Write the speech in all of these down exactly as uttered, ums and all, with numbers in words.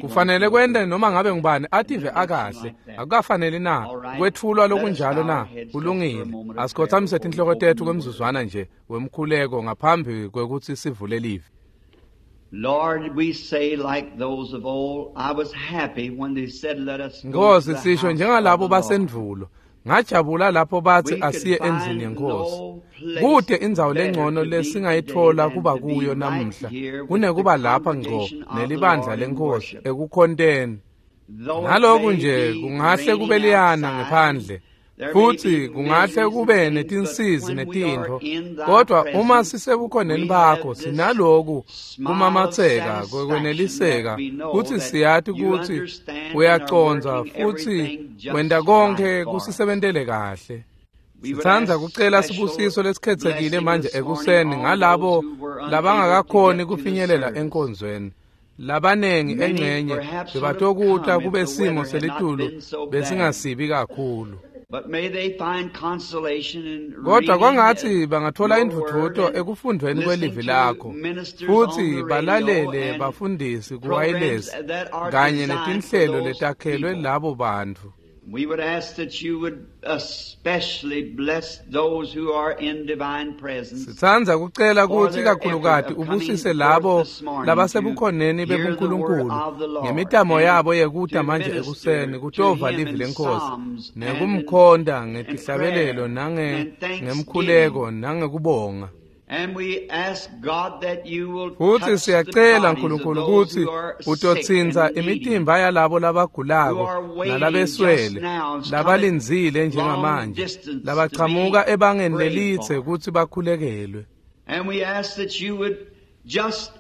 Kufanele kwente noma ngabe ngubani ative akahle. Akukafaneli na kwetfulwa lokunjalo na? Kulungile. Asikhothamise tinhloko tetfu kwemzuzwana nje wemkhuleko ngaphambi kwekutsi sivule livi. Lord, we say like those of old, I was happy when they said let us go to Nkosi the sisho house njengalabo of the Lord. basendvulo. Ngajabula lapho bathi We could asiye endlini find yenkosi. no place Kute indzawo better lengcono to be lesingayithola today kuba than to be kuyo right namuhla here with kunekuba the lapha ngco congregation of the nelibandla Lord in lenkosi worship. ekukhonteni. Though it Naloku may nje be kungahle raining kube liyana outside, ngephandle there may futhi be kungahle miseries and kube things, but netinsizi when we are netintfo in thy kodwa uma presence, sisebukhoneni we bakho have this sinaloku smile of kumamatseka satisfaction kwekweneliseka that we know kutsi that siyati you kutsi understand and are uyacondza working futsi everything just wenta konkhe right for us. kusisebentele kahle. We would Sitsandza ask kucela special sibusiso lesikhethekile blessing manje this morning ekuseni on ngalabo those who were unable to labangakakhoni get to the kufinyelela service. enkonzweni. Labanengi Many engcenye perhaps would have bebatokuta come if kube the simo weather had not selitulu been so bad. besingasibi kakhulu. But may they find consolation in Kodwa reading kwangatsi bangathola your indvudvuto word and ekufundweni listening kwelivi to lakho ministers on futsi the radio balalele and bafundisi programs kuwayilesi that are kanye designed for netinhlelo those letakhelwe people. labo bantfu. We would ask that you would especially bless those who are in divine presence Sitsandza kucela for kutsi their effort kakhulukati of coming ubusise forth labo this morning to labasebukhoneni hear the word bebuNkulunkulu of the Lord ngemitamo and yabo yekuta to manje ekuseni minister to kutova him livi in lenkosi psalms and in, nekumkhonta and ngetihlabelelo prayer nange and thanksgiving. ngemkhuleko nangekubonga. And we ask God that you will Futsi touch the siyacela bodies of Nkulunkulu those kutsi who are sick utotsintsa and needy, imitimba yalabo who labagulako are waiting just nalabeswele now, has come a labalindzile long njengamanje distance to labachamuka be ebangeni prayed lelitse for. kutsi bakhulekelwe. And we ask that you would just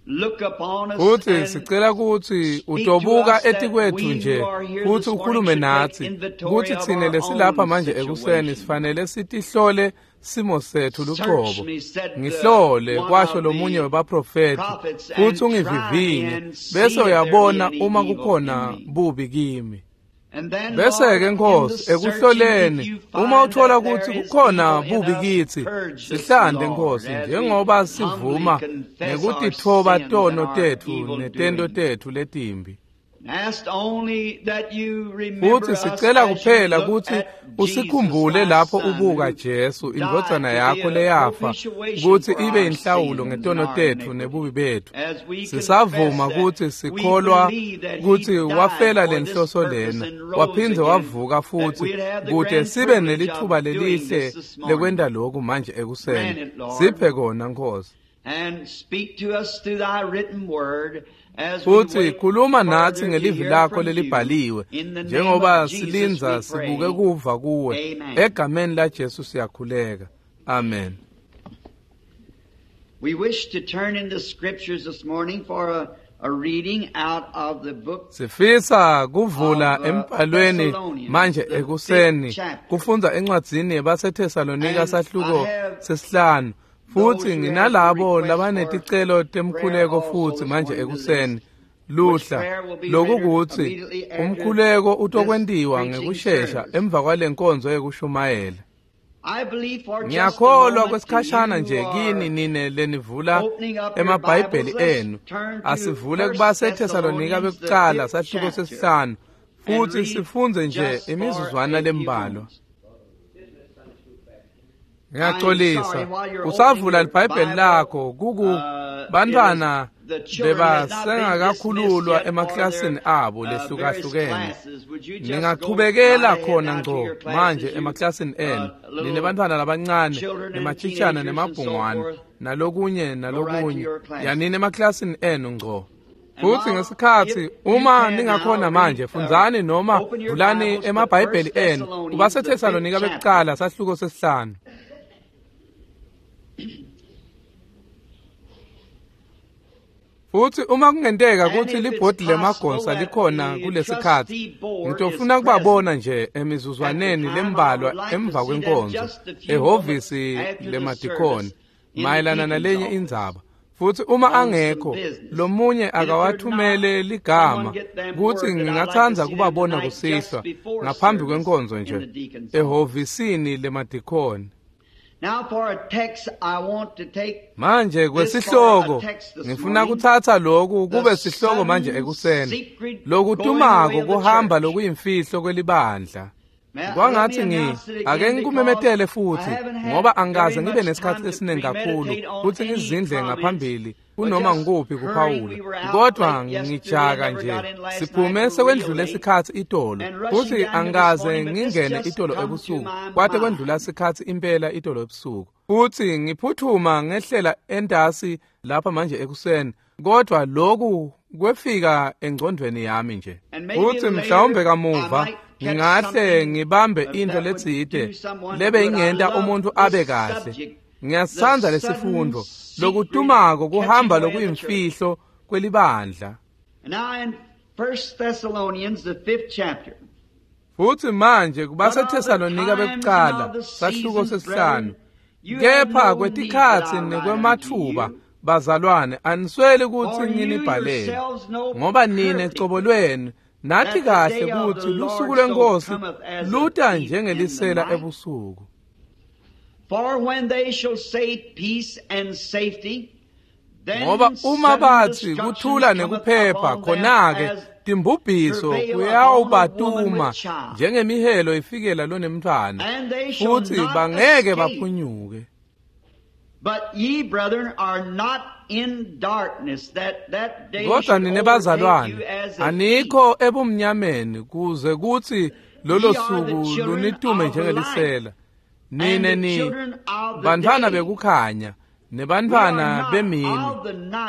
look upon us Futsi and sicela kutsi speak to utobuka us that etikwetfu we who nje are here futsi this morning ukhulume should take natsi inventory kutsi of tsine our lesilapha own manje ekuseni situation. sifanele sitihlole simo setfu Search lucobo. me, said the, Ngihlole one kwasho of lomunye the webaprofethi prophets, futsi and try me ungivivinye and see bese if there be uyabona any uma evil in kukhona me. bubi kimi. And then, Bese Lord, ke in the Nkosi searching, if ekuhloleni you uma find uthola that there kutsi is kukhona evil in bubi us, kitsi purge us, sihlante Lord, Nkosi as we njengoba humbly sivuma confess our ngekutitfoba sins and tono our tetfu evil netento doing. tetfu letimbi. And ask only that you remember Futsi us sicela as you kuphela look kutsi at Jesus, usikhumbule thy lapho Son, ubuka who Jesu died indvodzana to be yakho a leyafa propitiation kutsi for ibe our inhlawulo sins and ngetono our tetfu iniquity. nebubi betfu. As we confess Sisavuma that kutsi we sikholwa believe that he kutsi died wafela for this lenhloso purpose lena and rose waphindze again, wavuka that futsi we'd have the kute grand sibe privilege nelitfuba of doing lelihle this this morning. lekwenta loku manje ekuseni. Grant it, Lord, Siphe kona Nkosi. and speak to us through thy written word as we Futsi wait khuluma natsi further to ngelivi hear lakho from you. lelibhaliwe In the name njengoba of Jesus silindza we sibuke pray. kuva kuwe Amen. egameni laJesu siyakhuleka. Amen. We wish to turn in the scriptures this morning for a, a reading out of the book Sifisa kuvula of uh, embhalweni Thessalonians, manje the fifth ekuseni chapter. kufundza encwadzini yabaseThesalonika And I sahluko have sesihlanu those futsi who have nginalabo requests for labaneticelo prayer temkhuleko also futsi this manje morning to ekuseni list, which luhla prayer will be loku rendered kutsi immediately after umkhuleko this utokwentiwa preaching ngekushesha service. emva kwalenkonzo yekushumayela. I believe for just a Ngiyakholwa moment to kwesikhashana you nje who kini are nine lenivula opening up your emabhayibheli Bibles, let's enu turn to asivule First kubaseThesalonika Thessalonians, the bekucala fifth sahluko chapter, sesihlanu and futhi read sifundze nje just for imizuzwana a few lembalwa. moments. I'm sorry, Ngiyaxolisa while you're opening usavula your libhayibheli Bible, lakho kuku uh, it is bantfwana the children has not been dismissed bebasengakakhululwa yet for emaklasini their abo uh, various lehlukahlukene. classes. Would you just go Ningachubekela right ahead khona now to ngco your manje classes, you emaklasini uh, enu little ninebantfwana labancane children and nemachitshana teenagers and so nemabhungwane forth? nalokunye Go right to nalokunye your classes. yanini emaklasini enu ngco. And Futsi while, ngesikhatsi if you uma can now ningakhona read, manje uh, fundzani noma open your vulani Bibles to emabhayibheli First enu Thessalonians, the fifth kubaseThesalonika chapter. bekucala sahluko sesihlanu. Futsi uma kungenteka And kutsi if it's libhodi possible lemagonsa that likhona the kulesikhatsi trustee board is ngitofuna present kubabona nje at the emizuzwaneni time, I lembalwa would like to emva see them kwenkonzo just a few moments ehhovisi after the lemadikhoni service in the mayelana deacon's nalenye office indzaba. Futsi uma on some angekho business. lomunye And if they're not, akawathumele ligama someone get them kutsi word that I'd like to ngingatsandza see them kubabona tonight just kusihlwa before ngaphambi service kwenkonzo in nje the deacon's office. ehhovisini lemadikhoni. Manje kwesihloko ngifuna kuthatha lokhu kube sihloko manje ekuseni, lokutumako kuhamba lokuyimfihlo kwelibandla. Kwangathi ngi ake ngikumemetele futhi, ngoba angikaze ngibe nesikhathi esiningi kakhulu futhi ngizindle ngaphambili kunoma ngikuphi kuphawula, kodwa ngijaka nje siphume sekwendlule isikhathi itolo, futhi angikaze ngingene itolo ebusuku, kwade kwendlula isikhathi impela itolo ebusuku, futhi ngiphuthuma ngehlela entasi lapha manje ekuseni, kodwa lokhu kwefika engcondweni yami nje. Futhi mhlawumbe kamuva ngingahle ngibambe into letsite lebe ingenta umuntu abe kahle. Ngiyasandza lesifundo lokutumako kuhamba lokuyimfihlo kwelibandla. Futhi manje kubaseThesalonika bekuqala sahluko sesihlanu, kepha kwetikhatsi nekwemathuba bazalwane anisweli kutsi nginibhalele, ngoba nine cobo lwenu nathi kahle kutsi lusuku lwenkosi luta njengelisela ebusuku. Ngoba uma bathi kuthula nekuphepha, khona-ke timbubhiso kuyawubatuma njengemihelo ifikela lonemntfwana, futhi bangeke baphunyuke. Kodwa nine bazalwane anikho ebumnyameni kuze kuthi lolo suku lunitume njengelisela. Nine ni bantfwana bekukhanya nebantfwana bemini,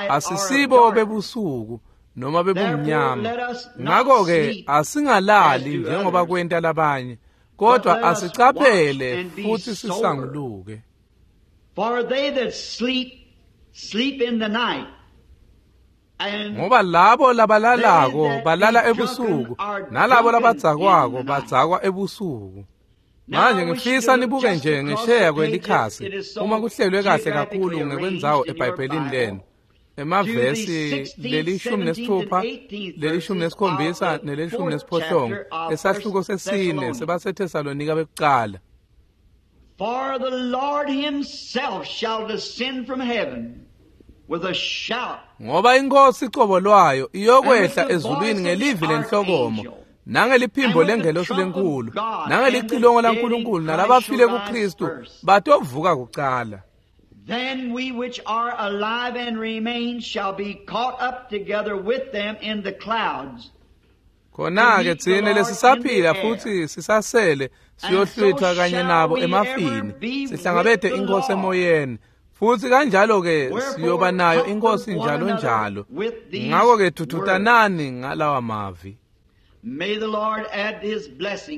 asisibo bebusuku noma bebumnyama. Ngakho-ke asingalali njengoba kwenta labanye, kodwa asicaphele futhi sisanguluke. Ngoba labo labalalako balala ebusuku, nalabo labadzakwako badzakwa ebusuku. Manje ngifisa nibuke nje ngesheya kwelikhasi uma kuhlelwe kahle kakhulu ngekwendzawo eBhayibhelini lenu. Emavesi lelishumi nesithupha, lelishumi nesikhombisa nelishumi nesiphohlongo esahluko sesine sebaseThesalonika bekuqala. For the Lord himself shall descend from heaven with a shout. Ngoba inkosi cobo lwayo iyokwehla ezulwini ngelivi lenhlokomo, nangeliphimbo lengelosi lenkulu, nangelicilongo laNkulunkulu, nalabafile kuKristu batovuka kuqala. Then we which are alive and remain shall be caught up together with them in the clouds. Khona-ke thina lesisaphila futhi sisasele siyohlwithwa kanye nabo emafini, sihlangabete inkosi emoyeni, futhi kanjalo-ke siyoba nayo inkosi njalo njalo. Ngakho-ke thuthutanani ngalawa mavi.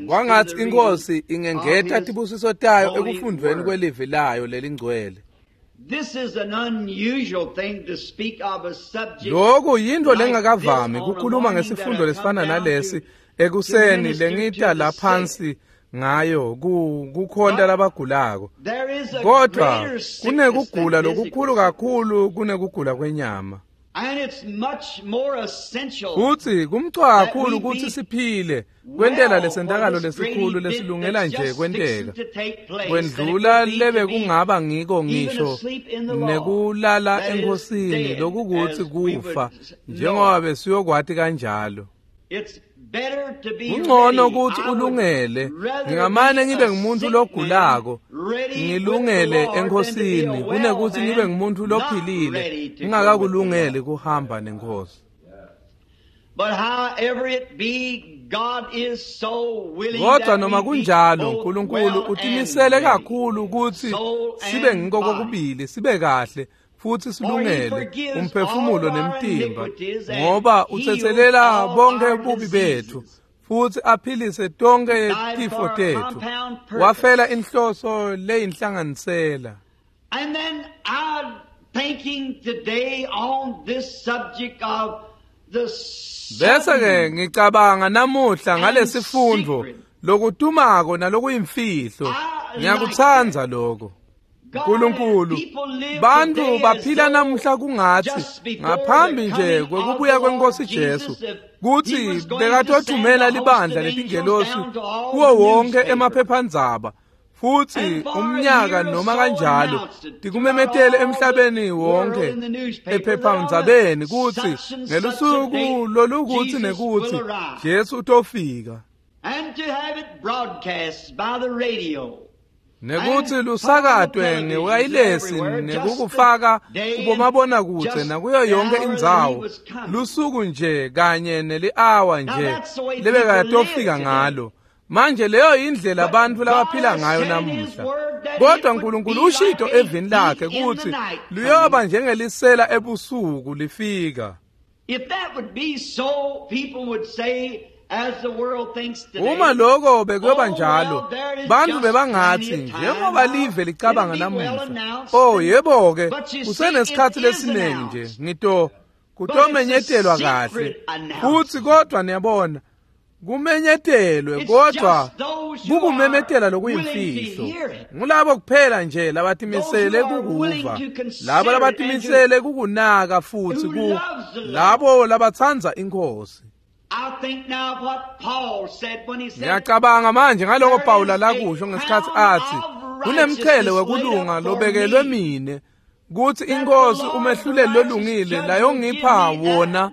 Kwangathi inkosi ingengeta tibusiso tayo ekufundweni kwelivi layo lelingcwele. Lokhu yinto lengakavami kukhuluma ngesifundo lesifana nalesi ekuseni lengita laphansi ngayo kukhonta labagulako, kodwa kunekugula lokukhulu kakhulu kunekugula kwenyama. Futhi kumcoka kakhulu ukuthi siphile kwentela lesentakalo lesikhulu lesilungela nje kwenteka, kwendlula lebe kungaba ngiko ngisho nekulala enkosini lokukuthi kufa, njengoba besiyokwati kanjalo. Kungcono ukuthi ulungele, ngingamane ngibe ngumuntu logulako ngilungele enkosini kunekuthi ngibe ngumuntu lophilile ngingakakulungeli kuhamba nenkosi. Kodwa noma kunjalo uNkulunkulu utimisele kakhulu ukuthi sibe ngiko kokubili, sibe kahle futhi silungele umphefumulo nemtimba, ngoba uthethelela bonke bubi bethu futhi aphilise tonke tifo tethu. Wafela inhloso leyinhlanganisela. And then I'm thinking today on this subject of the Bese ke ngicabanga namuhla ngalesifundo lokutumako nalokuyimfihlo. Ngiyakutsandza lokho. uNkulunkulu, bantu baphila namuhla kungathi ngaphambi nje kwekubuya kwenkosi Jesu kuthi bekatothumela libandla letingelosi kuwo wonke emaphephandzaba, Futsi umnyaka noma kanjalo tikumemetele emhlabeni wonke ephephandzabeni kutsi ngelusuku lolukutsi nekutsi Jesu utofika. And to have it broadcast by the radio. Nekutsi lusakatwe ngewayilesi nekukufaka kubomabonakudze nakuyo yonke indzawo lusuku nje kanye neli-awa nje lebekatofika ngalo. Manje leyo indlela abantu labaphila ngayo namuhla. Kodwa uNkulunkulu ushito evini lakhe kutsi luyoba njengelisela ebusuku lifika. If that would be so, people would say, as the world thinks today, Uma lokho bekuyoba njalo, bantu bebangathi njengoba live licabanga namuhla, oh yebo ke, kusenesikhathi lesiningi nje ngito kutomenyetelwa kahle. Futsi kodwa niyabona, kumenyetelwe kodwa kukumemetela lokuyimfihlo. Ngulabo kuphela nje labatimisele kukuva, labo labatimisele kukunaka futsi ku labo labatsandza iNkhosi. I think now of what Paul said when he said, Ngiyacabanga manje ngaloko Pawula lakusho ngesikhathi athi kunemchele wekulunga lobekelwe mine kutsi iNkhosi umehluleli lolungile layongipha wona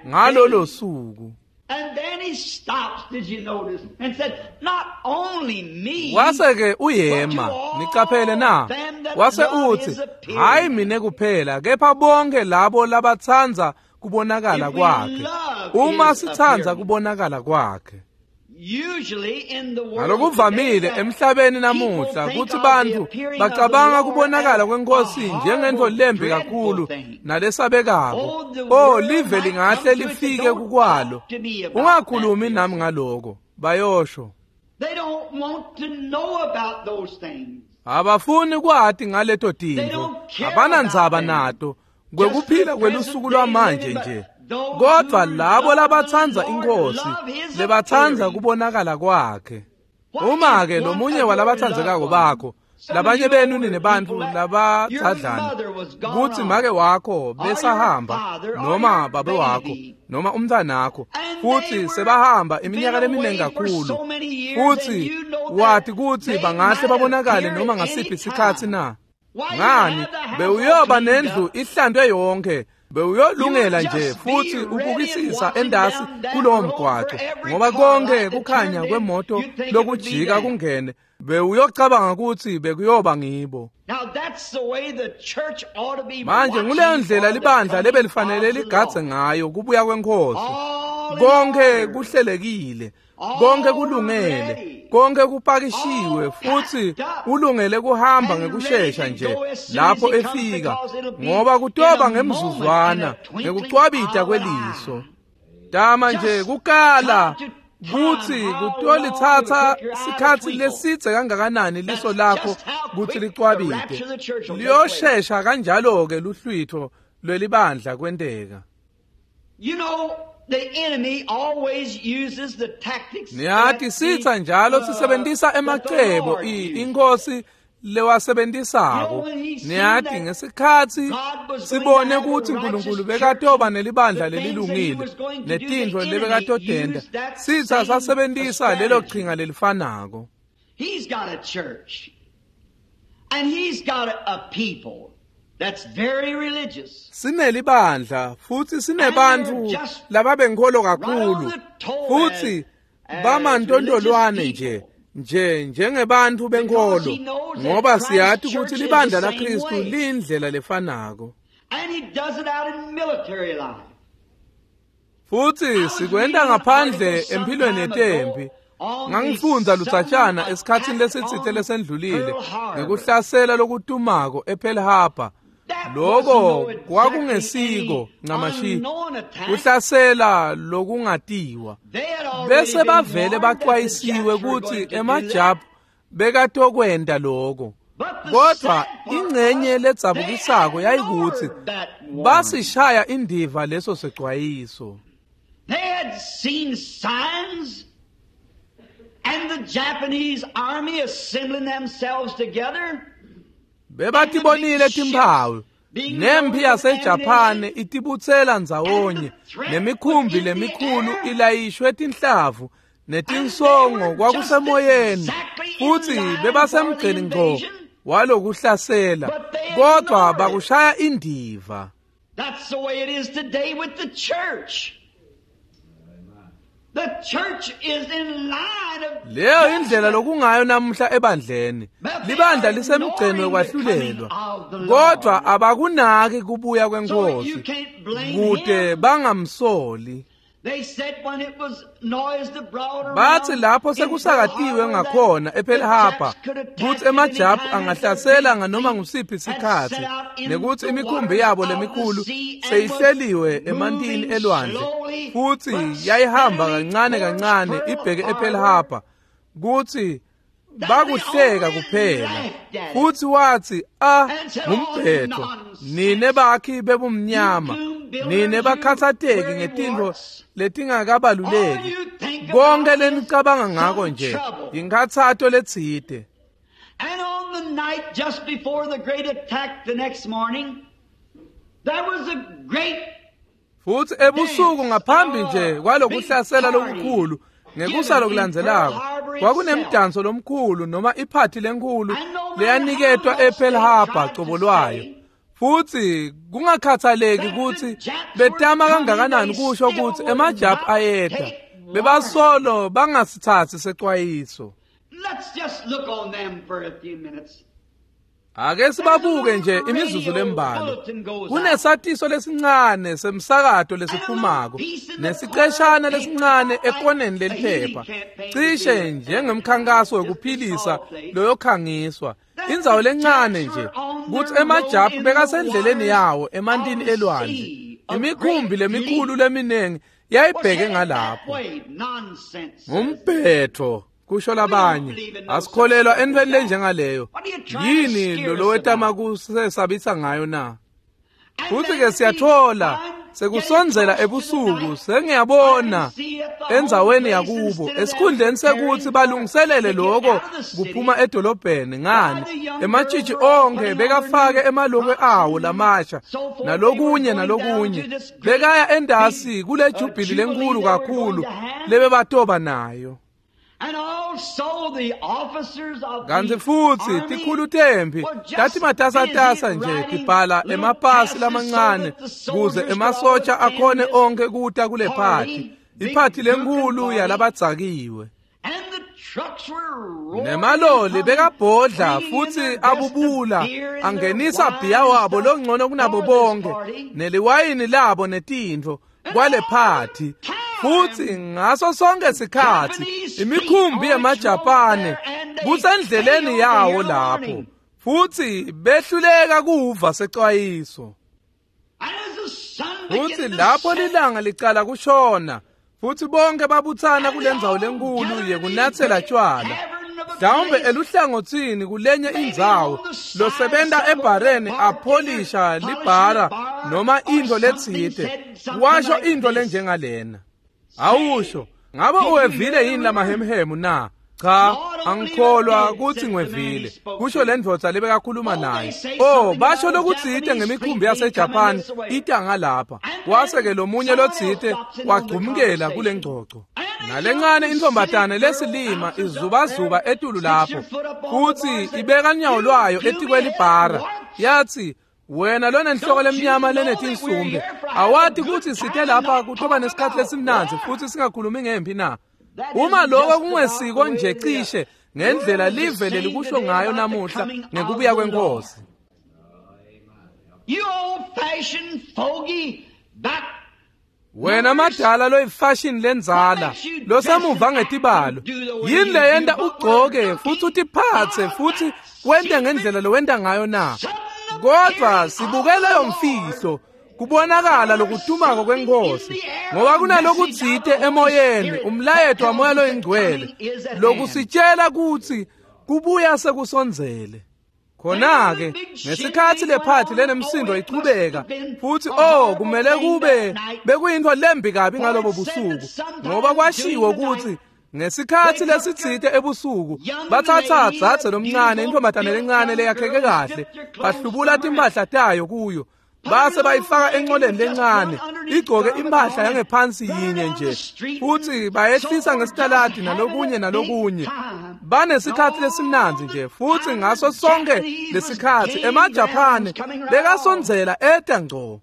ngalolo suku. And then he stops, did you notice, and said, not only me, Wase ke uyema, nicaphele na? Wase uthi, hayi mine kuphela, kepha bonke labo labatsandza kubonakala kwakhe. Uma sitsandza kubonakala kwakhe. Usually in the world Ngalokuvamile today, emhlabeni namuhla kutsi bantfu bacabanga kubonakala kweNkhosi njengentfo lembi kakhulu nalesabekako. Oh, live lingahle lifike kukwalo. Ungakhulumi nami ngaloko, bayosho. They don't want to know about those things. Abafuni kwati ngaleto tintfo, abanandzaba nato kwekuphila kwelusuku lwamanje nje. Kodwa labo labatsandza iNkhosi lebatsandza kubonakala kwakhe. Uma ke lomunye walabatsandzekako bakho, labanye benu ninebantfu labatsadlana kutsi make wakho besahamba noma babe wakho noma umntwanakho, futsi sebahamba iminyaka leminingi kakhulu, futsi wati kutsi bangahle babonakale noma ngasiphi sikhatsi na? Ngani, bewuyoba nendlu ihlandwe yonke, bewuyolungela nje futsi ubukisisa endasi kulowo mgwaco, ngoba konke kukhanya kwemoto lokujika kungene, bewuyocabanga kutsi bekuyoba ngibo. Now that's the way the church ought to be Manje nguleyo ndlela libandla lebelifanele ligadze ngayo kubuya kweNkhosi. Konke kuhlelekile, konke kulungele, konke kupakishiwe futsi ulungele kuhamba ngekushesha nje lapho efika, ngoba kutoba ngemzuzwana ngekucwabita kweliso. Tama nje kukala kutsi kutolitsatsa sikhatsi lesidze kangakanani liso lakho kutsi licwabite. Liyoshesha kanjalo-ke luhlwitho lwelibandla kwenteka. You know, the enemy always uses the tactics. Niyati sitsa njalo sisebentisa emacebo iNkhosi lewasebentisako. Niyati ngesikhatsi sibone kutsi uNkulunkulu bekatoba nelibandla lelilungile netintfo lebekatotenta, sitsa sasebentisa lelo qhinga lelifanako. He's got a church and he's got a people that's very religious. Sinelibandla futsi sinebantfu lababenkholo kakhulu futsi bamantontolwane nje nje njengebantfu benkholo, ngoba siyati kutsi libandla laKristu liyindlela lefanako. And he does it out in military life. Futsi sikwenta ngaphandle empilweni yetempi. Ngangifundza lutsatshana esikhatsini lesitsite lesendlulile ngekuhlasela lokutumako ePearl Harbor. Loko kwakungesiko ncamashi kuhlasela lokungatiwa. Bese bavele baxwayisiwe kutsi emaJapu bekatokwenta loko. Kodwa ingcenye ledzabukisako yayikutsi basishaya indiva leso sexwayiso. They had seen signs and the Japanese army assembling themselves together. Bebatibonile timphawu nempi yaseJapane itibutsela ndzawonye nemikhumbi lemikhulu ilayishwe tinhlavu netinsongo kwakusemoyeni futsi bebasemgceni ngco walokuhlasela kodwa bakushaya indiva. That's the way it is today with the church. The church is in line of Leyo indlela lokungayo namuhla ebandleni. Libandla lisemgceni wekwahlulelwa. Kodwa abakunaki kubuya kwenkosi. Kude bangamsoli. They said when it was noised abroad around Bathi lapho sekusakatiwe ngakhona ePearl Harbor kutsi emajapu angahlasela nganoma ngusiphi sikhatsi nekutsi imikhumbi yabo lemikhulu seyihleliwe emantini elwandle futsi yayihamba kancane kancane ibheke ePearl Harbor kutsi bakuhleka kuphela futsi watsi ah ngumbhedo nine bakhi bebumnyama nine bakhatsateki ngetintfo letingakabaluleki konke lenicabanga ngako nje yinkhatsato letsite. And on the night just before the great attack the next morning, there was a great Futsi ebusuku ngaphambi nje kwalokuhlasela lokukhulu ngekusa lokulandzelako kwakunemdanso lomkhulu noma iphathi lenkhulu leyaniketwa ePearl Harbor cobo lwayo futsi kungakhathaleki kutsi betama kangakanani kusho kutsi emajapu ayeta bebasolo bangasithatsi secwayiso. Let's just look on them for a few minutes. Ake sibabuke nje imizuzu lembalwa. Kunesatiso lesincane semsakato lesiphumako nesiqeshana lesincane ekoneni leliphepha cishe njengemkhankaso wekuphilisa loyokhangiswa indzawo lencane nje kutsi emajapu bekasendleleni yawo emantini elwandle imikhumbi lemikhulu leminingi yayibheke ngalapho. Ngumbhetho kusho labanye asikholelwa entweni lenjengaleyo. Yini lolowetama kusesabisa ngayo na? Futsi ke siyathola sekusondzela ebusuku sengiyabona endzaweni yakubo esikhundleni sekutsi balungiselele lokho kuphuma edolobheni ngani ematshitshi onke bekafake emalokwe awo lamasha nalokunye nalokunye bekaya endasi kule jubhili lenkulu kakhulu lebebatoba nayo. And also the officers of Kantsi the futsi army tikhulu temphi were just tatimatasatasa busy nje writing tibhala little emapasi passes lamancane so that the kuze soldiers emasotsha could all akhone attend onke kuta kule party, phathi big iphathi lenkulu drunken party. yalabadzakiwe. And the trucks were roaring Nemaloli and bekabhodla bringing in futsi their best of abubula beer and their angenisa wine bhiya and wabo stuff longcono kunabo for this bonke party. neliwayini labo netintfo kwale phathi futsi ngaso sonke sikhatsi imikhumbi yemaJapane kusendleleni yawo lapho futsi behluleka kuva secwayiso. And as the sun began Futsi to lapho set, lilanga licala kushona futsi bonke babutsana kulendzawo lenkulu yekunatsela tshwala mhlawumbe eluhlangotsini kulenye indzawo losebenta ebhareni apholisha libhara noma intfo letsite washo intfo lenjengalena. Awusho ngabe uwevile yini lamahemhemu na? Cha, angikholwa kutsi ngiwevile kusho le ndvodza lebekakhuluma naye. Oh, basho lokutsite ngemikhumbi yaseJapan ita ngalapha wase-ke lomunye lotsite wagcumkela kule ngcoco. Nalencane intfombatane lesilima izubazuba etulu lapho futsi ibeka nyawo lwayo etikwelibhara yatsi wena lonenhloko lemnyama lenetinsumbe awati kutsi site lapha kutoba nesikhatsi lesimnandzi futsi singakhulumi ngemphi na? Uma lokho kungesiko nje cishe ngendlela live lelikusho ngayo namuhla ngekubuya kwenkosi. You old-fashioned fogey back Wena madala loyifashion lendzala losemuva ngetibalo yini leyenta ugcoke futsi utiphatse futsi wente ngendlela lowenta ngayo na? Kodwa sibuke leyo mfihlo kubonakala lokutumako kwenkosi ngoba kunalokutsite emoyeni umlayeto wamoya loyingcwele lokusitshela kutsi kubuya sekusondzele. Khona-ke ngesikhatsi lephathi lenemsindo ichubeka futsi oh kumele kube bekuyintfo lembi kabi ngalobo busuku ngoba kwashiwo kutsi ngesikhatsi lesitsite ebusuku batsatsa dzadze lomncane intfombatane lencane leyakheke kahle bahlubula timphahla tayo kuyo Base bayifaka enqoleni lencane, igcoke impahla yangephansi yinye nje, futhi bayehlisa ngesitaladi nalokunye nalokunye. Banesikhathi lesimnandzi nje, futhi ngaso sonke lesikhathi emaJapane bekasondzela eta ngco.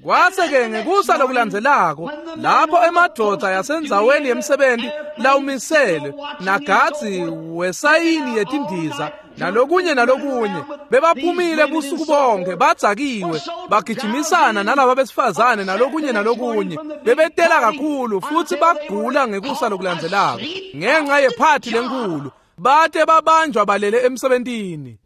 Kwase-ke ngekusa lokulandzelako, lapho emadvodza yasendzaweni yemsebenti lawumisele nagadzi wesayini yetindiza nalokunye nalokunye bebaphumile busuku bonke badzakiwe bagijimisana nalaba besifazane nalokunye nalokunye bebetela kakhulu futhi bagula ngekusa lokulandzelako ngenxa yephathi lenkulu bate babanjwa balele emsebentini.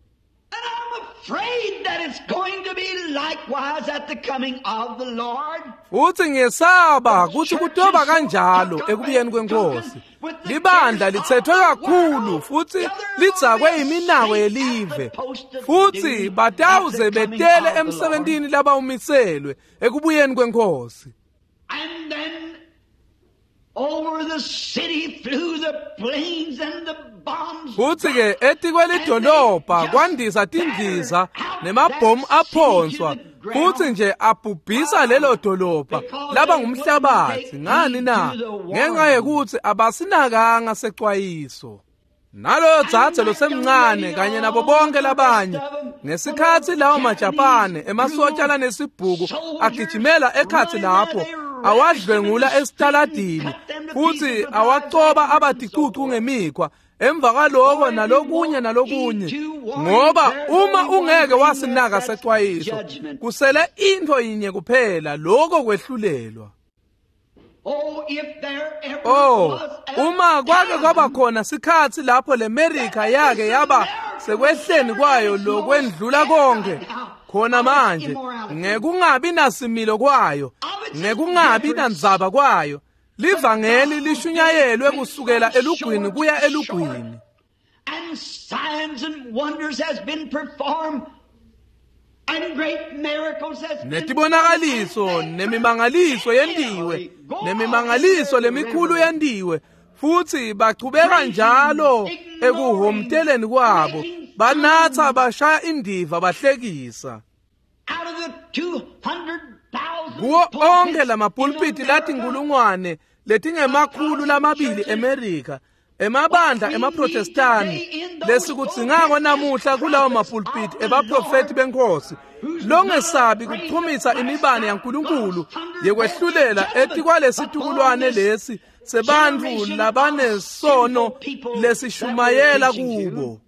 Afraid that it's going to be likewise at the coming of the Lord. Uthi ngiyesaba kuthi kutoba kanjalo ekubuyeni kwenkosi. Libandla lithethwe kakhulu futhi lidzakwe iminako yelive. Futhi batawuze betele emsebentini labawumiselwe ekubuyeni kwenkosi. And then over the city flew the planes and the bombs. Futhi ke etikwelidolobha kwandisa tindiza nemabhomu aphonswa futhi nje abhubhisa lelo dolobha laba ngumhlabathi. Ngani na? Ngenxa yekuthi abasinakanga secwayiso. Naloyo dzadze losemncane kanye nabo bonke labanye ngesikhathi lawo maJapane emasotsha lanesibhuku agijimela ekhathi lapho awadlwengula esitaladini futhi awacoba abadicucu ngemikhwa emva kwaloko nalokunye nalokunye, ngoba uma ungeke wasinaka secwayiso kusele into yinye kuphela, lokho kwehlulelwa. Oh, uma kwake kwaba khona sikhathi lapho leMerika yake yaba sekwehleni kwayo lokwendlula konke, khona manje ngekungabi nasimilo kwayo, ngekungabi nandzaba kwayo, livangeli lishunyayelwe kusukela elugwini kuya elugwini. And signs and wonders has been performed, and great miracles has been netibonakaliso nemimangaliso yendiwe, nemimangaliso lemikhulu yendiwe, futhi bachubeka njalo ekuhomteleni kwabo, banatha bashaya indiva bahlekisa. Out of the two hundred thousand Kuwo onke lamapulpiti latinkulungwane letingemakhulu lamabili eMerika, emabandla emaProtestani lesikudzingako namuhla kulawo mapulpiti ebaprofeti benkosi longesabi kuchumisa imibane yaNkulunkulu yekwehlulela etikwalesitukulwane lesi sebantfu labanesono lesishumayela kubo.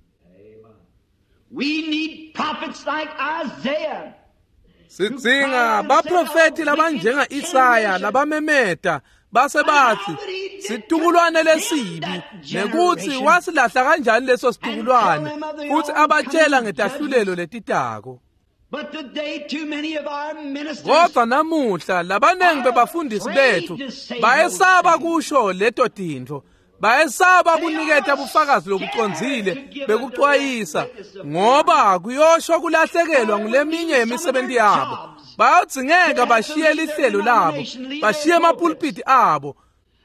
We need prophets like Isaiah. Sidzinga baprofeti labanjenga Isaya labamemeta base bathi situkulwane lesibi, nekuthi wasilahla kanjani leso situkulwane, futhi abatshela ngetahlulelo letitako. But today too many of our ministers Kodwa namuhla labanengi bebafundisi bethu bayesaba kusho leto tintfo, bayesaba kuniketa bufakazi lobucondzile bekucwayisa, ngoba kuyosho kulahlekelwa nguleminye yemisebenti yabo. Bayadzingeka bashiye lihlelo labo, bashiye emapulpiti abo,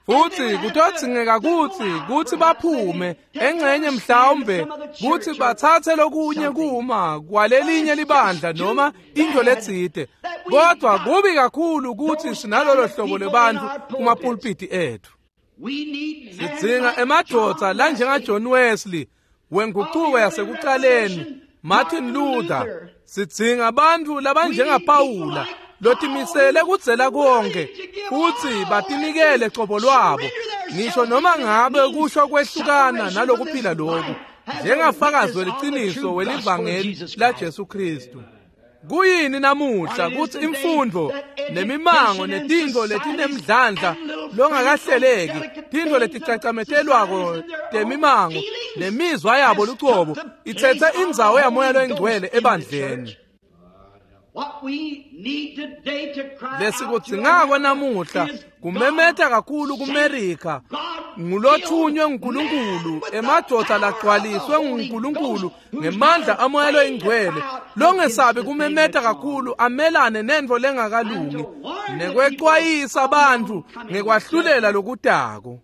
futhi kutodzingeka kutsi kutsi baphume engxenye mhlawumbe kutsi bathathe lokunye kuma kwalelinye libandla noma into letsite. Kodwa kubi kakhulu kutsi sinalolo hlobo lwebantfu kumapulpiti ethu. We need men Sidzinga like emadvodza John lanjenga Wesley. John Wesley wenguquko yasekucaleni, Martin Luther. Sidzinga abantu labanjenga Pawula lotimisele kudzela konke futhi batinikele cobo lwabo, ngisho noma ngabe kusho kwehlukana nalokuphila lokhu, njengafakazi weliciniso welivangeli laJesu Kristu. Kuyini namuhla kutsi imfundvo nemimango netintfo letinemdlandla longakahleleki, tintfo leticacametelwako temimango nemizwa yabo lucobo itsetse indzawo yaMoya loyiNgcwele ebandleni. What we need today to cry out to Lesikudzingako America namuhla is kumemeta God kakhulu kuMerika God ngulothunywe nguNkulunkulu, emadvodza lagcwaliswe nguNkulunkulu ngemandla aMoya loyiNgcwele, longesabi kumemeta kakhulu amelane nentfo lengakalungi nekwecwayisa bantfu ngekwahlulela lokutako.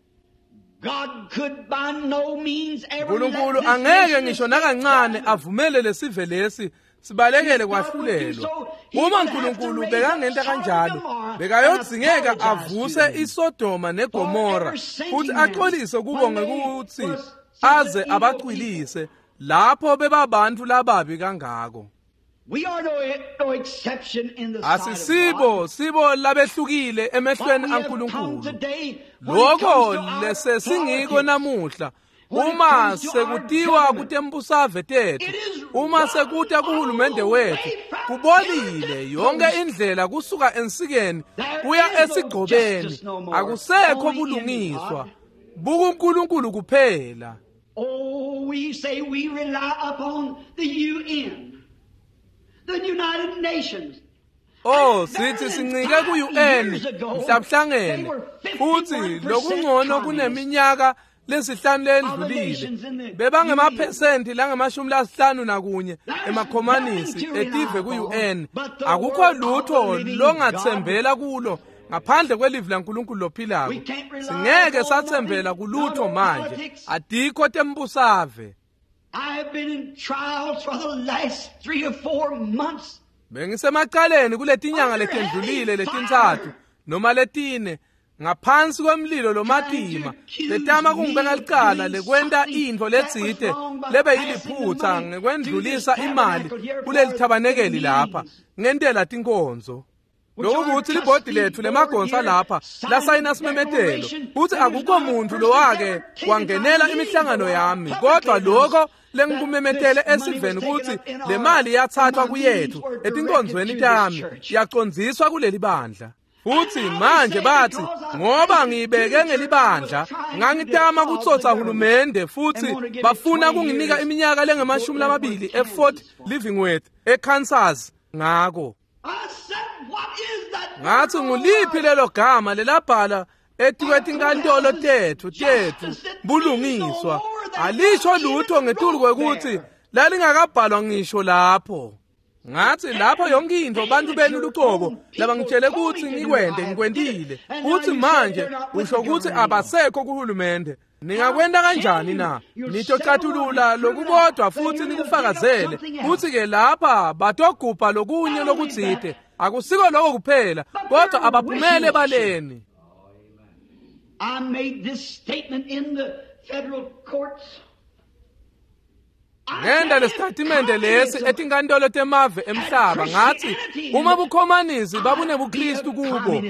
God could by no means ever let uNkulunkulu this angeke nation ngisho escape nakancane judgment. avumele lesive lesi sibalekele kwahlulelwa. Uma Nkulunkulu bekangenta kanjalo, bekayodzingeka avuse iSodoma neGomora futhi axolise kubo ngekuthi aze abacwilise lapho bebabantu lababi kangako. We are no, no exception in the sight of God. Asisibo sibo labehlukile emehlweni What we have come aNkulunkulu. today, when it Lokho comes to our lesesingiko politics, namuhla uma sekutiwa kutembusave tethu, uma sekuta kuhulumende wethu, kubolile yonke indlela kusuka ensikeni kuya esigcobeni, akusekho bulungiswa, bukuNkulunkulu kuphela. Oh, we say we rely upon the U N, the United Nations. Oh, sithi sincike ku-U N mhlawumhlangene futhi lokungcono kuneminyaka lesihlanu lendlulile bebangemaphesenti langamashumi lasihlanu nakunye emakhomanisi etive ku-U N. Akukho lutho longathembela kulo ngaphandle kwelivi laNkulunkulu lophilako. Singeke sathembela kulutho manje, adikho tembusave. I have been in trials for the last three or four months. Bengisemacaleni kuletinyanga letendlulile letintsatfu noma letine ngaphansi kwemlilo lomatima letama kungibeka licala lekwenta intfo letsite lebeyiliphutsa ngekwendlulisa imali kuleli thabanekeli lapha ngentela tinkonzo. Lokukuthi libhodi lethu lemagonsa lapha lasayina simemetelo kutsi akukho muntu lowake wangenela imihlangano yami, kodwa lokho lengikumemetele esiveni kutsi le mali yathathwa kuyethu etinkonzweni tami yacondziswa kuleli bandla. Futhi manje bathi ngoba ngiyibeke ngelibandla ngangitama kutsotsa hulumende futhi bafuna kunginika iminyaka lengamashumi lamabili eFort Livingworth eKansas ngako. I said, what is that? Ngathi nguliphi lelo gama lelabhala etikwetinkantolo tethu tethu bulungiswa alisho lutho ngetulu kwekuthi lalingakabhalwa ngisho lapho. Ngathi lapho yonke into bantu benu lucobo labangitshele ukuthi ngikwente ngikwentile, futhi manje usho ukuthi abasekho kuhulumende. Ningakwenta kanjani na? Nitocatulula lokubodwa futhi nikufakazele futhi ke lapha batogubha lokunye lokutsite. Akusiko lokho kuphela, kodwa abaphumele ebaleni. I made this statement in the federal courts. Ngenda lesitatimende lesi etinkantolo temave emhlaba ngathi uma bukhomanisi babunebuKristu kubo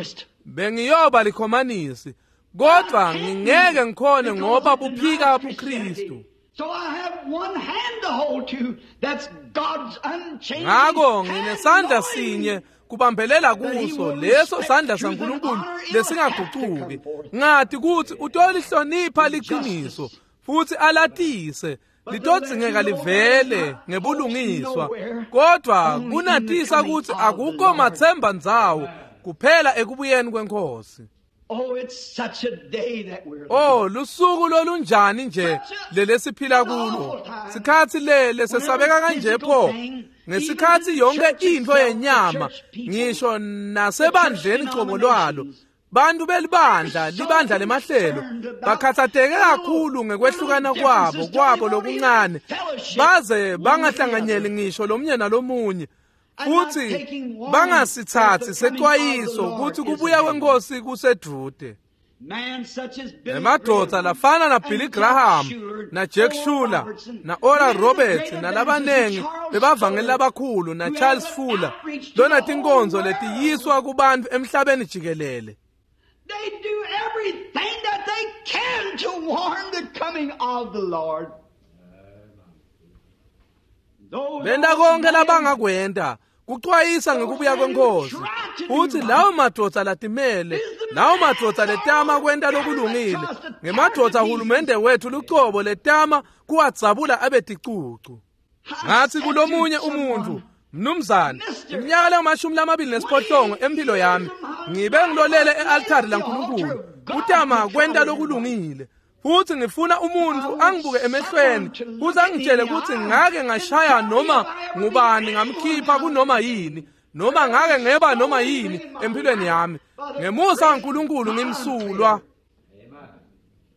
bengiyoba likhomanisi, kodwa ngingeke ngikhone ngoba buphika buKristu. So I have one hand to hold to, that's God's unchanging Ngako hand, nginesandla knowing sinye kubambelela kuso, leso sandla saNkulunkulu lesingagucuki. Ngathi kuthi utolihlonipha liqiniso futhi alatise litodzingeka livele ngebulungiswa, kodwa kunatisa ukuthi akukho mathemba ndzawo kuphela ekubuyeni kwenkosi. Oh, it's such a day that we're Oh, lusuku lolunjani nje lelesiphila kulo. Sikhathi le lesesabeka kanje pho. Ngesikhathi yonke into yenyama ngisho nasebandleni cobo lwalo, bantu belibandla, libandla lemahlelo bakhathatheke kakhulu ngekwehlukana kwabo kwabo lokuncane baze bangahlanganyeli ngisho lomunye nalomunye, futhi bangasithathi sexwayiso ukuthi kubuya kwenkosi kusedude. Man such as Billy Emadvodza Graham lafana na Billy and Jack Graham Schuler, na Jack Oral Schuler Robertson, na Oral many Roberts great na labanengi evangelists, Charles bebavangeli Fuller, labakhulu na who Charles had an Fuller outreach to lona the tinkonzo whole world. letiyiswa kubantu emhlabeni jikelele. They do everything that they can to warn the coming of the Lord. Those Benta old konke men labangakwenta kuxwayisa ngekubuya kwenkosi. Futhi lawo madvodza latimele, lawo madvodza letama kwenta lokulungile, ngemadvodza hulumende wethu lucobo letama kuwadzabula abe ticucu. Ngathi kulomunye umuntu, mnumzane, iminyaka lengamashumi lamabili nesiphohlongo empilo yami ngibe ngilolele e-altari laNkulunkulu kutama kwenta lokulungile, futhi ngifuna umuntu angibuke emehlweni kuze angitshele ukuthi ngake ngashaya noma ngubani ngamkhipha kunoma yini, noma ngake ngeba noma yini empilweni yami. Ngemusa kaNkulunkulu ngimsulwa.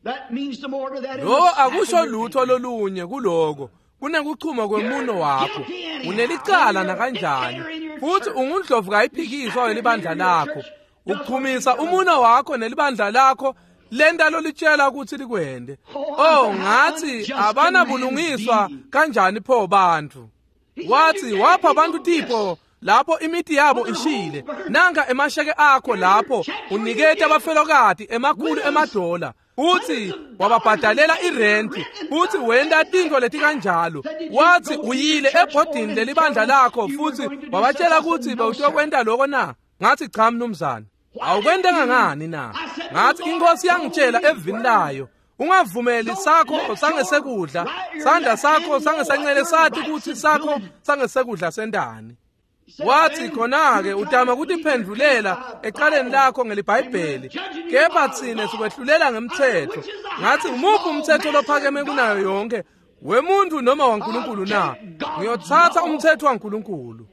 That means the more to that in Lokho the akusho snap of your lutho finger. lolunye kuloko Kunekuchuma kwemuno wakho. Unelicala nakanjani. Futhi ungundlovu kayiphikiswa welibandla lakho. Uchumisa umuno wakho nelibandla lakho lenta lolitshela ukuthi likwende. Oh, ngathi abanabulungiswa kanjani pho bantu. Wathi wapha abantu tipho lapho imithi yabo ishile. Nanka emasheke akho lapho uniketa abafelokati emakhulu emadola. Uthi wababhadalela irenti, uthi wenta tintfo leti kanjalo. Wathi uyile ebhodini lelibandla lakho futhi wabatshela ukuthi bewutokwenta lokho na? Ngathi cha mnumzane. Awukwentanga ngani na? Ngathi inkosi yangitshela evini layo, ungavumeli sakho sangesekudla, sandla sakho sangesancele sathi ukuthi sakho sangesekudla sendani. Wathi khona-ke utama kutiphendvulela eqaleni lakho ngeliBhayibheli, kepha tsine sikwehlulela ngemthetho. Ngathi umuphi umthetho lophakeme kunayo yonke, wemuntu noma waNkulunkulu na? Ngiyothatha umthetho waNkulunkulu.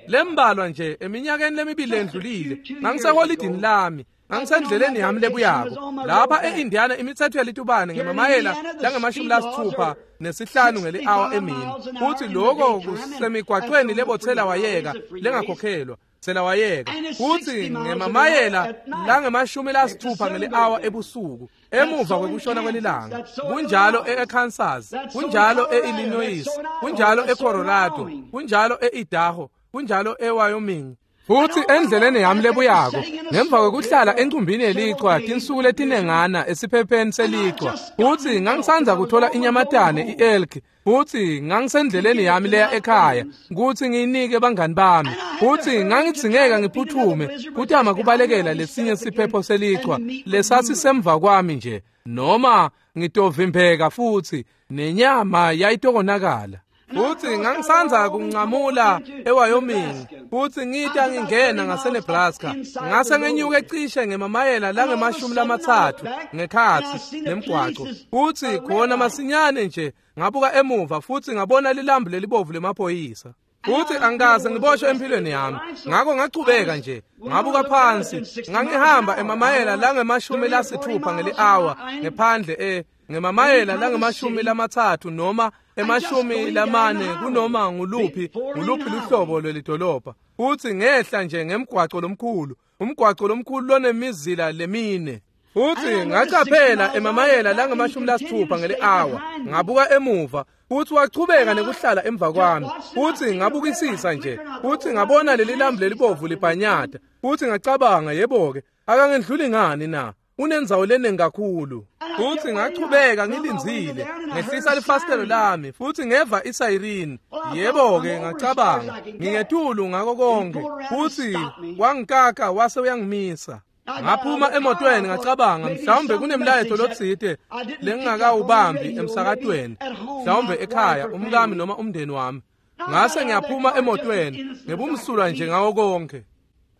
Lembalwa nje eminyakeni lemibili endlulile, ngangiseholidini lami, ngangisendleleni yami lebuyako. Lapha e-Indiana imithetho yalitubane ngemamayela langemashumi lasithupha nesihlanu ngeli-hour emini. Futhi lokho kusemigwaqweni lebothela wayeka lengakhokhelwa, thela wayeka. Futhi ngemamayela langemashumi lasithupha ngeli-hour ebusuku, emuva kwekushona kwelilanga. Kunjalo e-Kansas, kunjalo e-Illinois, kunjalo e-Colorado, kunjalo e-Idaho, kunjalo e-Wyoming. Futhi endleleni yami lebuyako, ngemva kwekuhlala encumbini yelichwa tinsuku letinengana esiphepheni selichwa, futhi ngangisanza kuthola inyamatane i-elk, futhi ngangisendleleni yami leya ekhaya ukuthi ngiyinike bangani bami, futhi ngangidzingeka ngiphuthume kutama kubalekela lesinye siphepho selichwa lesasisemva kwami nje, noma ngitovimbeka futhi nenyama yayitokonakala. Futhi ngangisanza kunqamula eWyoming, futhi ngita ngingena ngaseNebraska, ngase ngenyuke cishe ngemamayela langemashumi lamathathu ngekhatsi nemgwaco. Futhi khona masinyane nje ngabuka emuva futhi ngabona lilambu lelibovu lemaphoyisa. Futhi angikaze ngiboshwe empilweni yami, ngakho ngachubeka nje ngabuka phansi. Ngangihamba emamayela langemashumi lasithupha ngeli-hour ngephandle e ngemamayela langemashumi lamathathu noma emashumi lamane kunoma nguluphi nguluphi luhlobo lwelidolobha. Futhi ngehla nje ngemgwaco lomkhulu, umgwaco lomkhulu lonemizila lemine. Futhi ngacaphela emamayela langemashumi lasithupha ngeli-hour, ngabuka emuva, futhi wachubeka nekuhlala emva kwami. Futhi ngabukisisa nje, futhi ngabona leli lambu lelibovu libhanyata. Futhi ngacabanga, yebo-ke, akangendluli ngani na? Unendzawo leningi kakhulu. Futhi ngachubeka ngilindzile, ngehlisa lifasitelo lami, futhi ngeva isayirini. Yebo-ke, ngacabanga, ngingetulu ngako konke. Futhi wangikaka wase uyangimisa. Ngaphuma emotweni ngacabanga, mhlawumbe kunemlayeto lotsite lengingakawubambi emsakatweni, mhlawumbe ekhaya umkami noma umndeni wami. Ngase ngiyaphuma emotweni ngebumsulwa nje ngawo konke.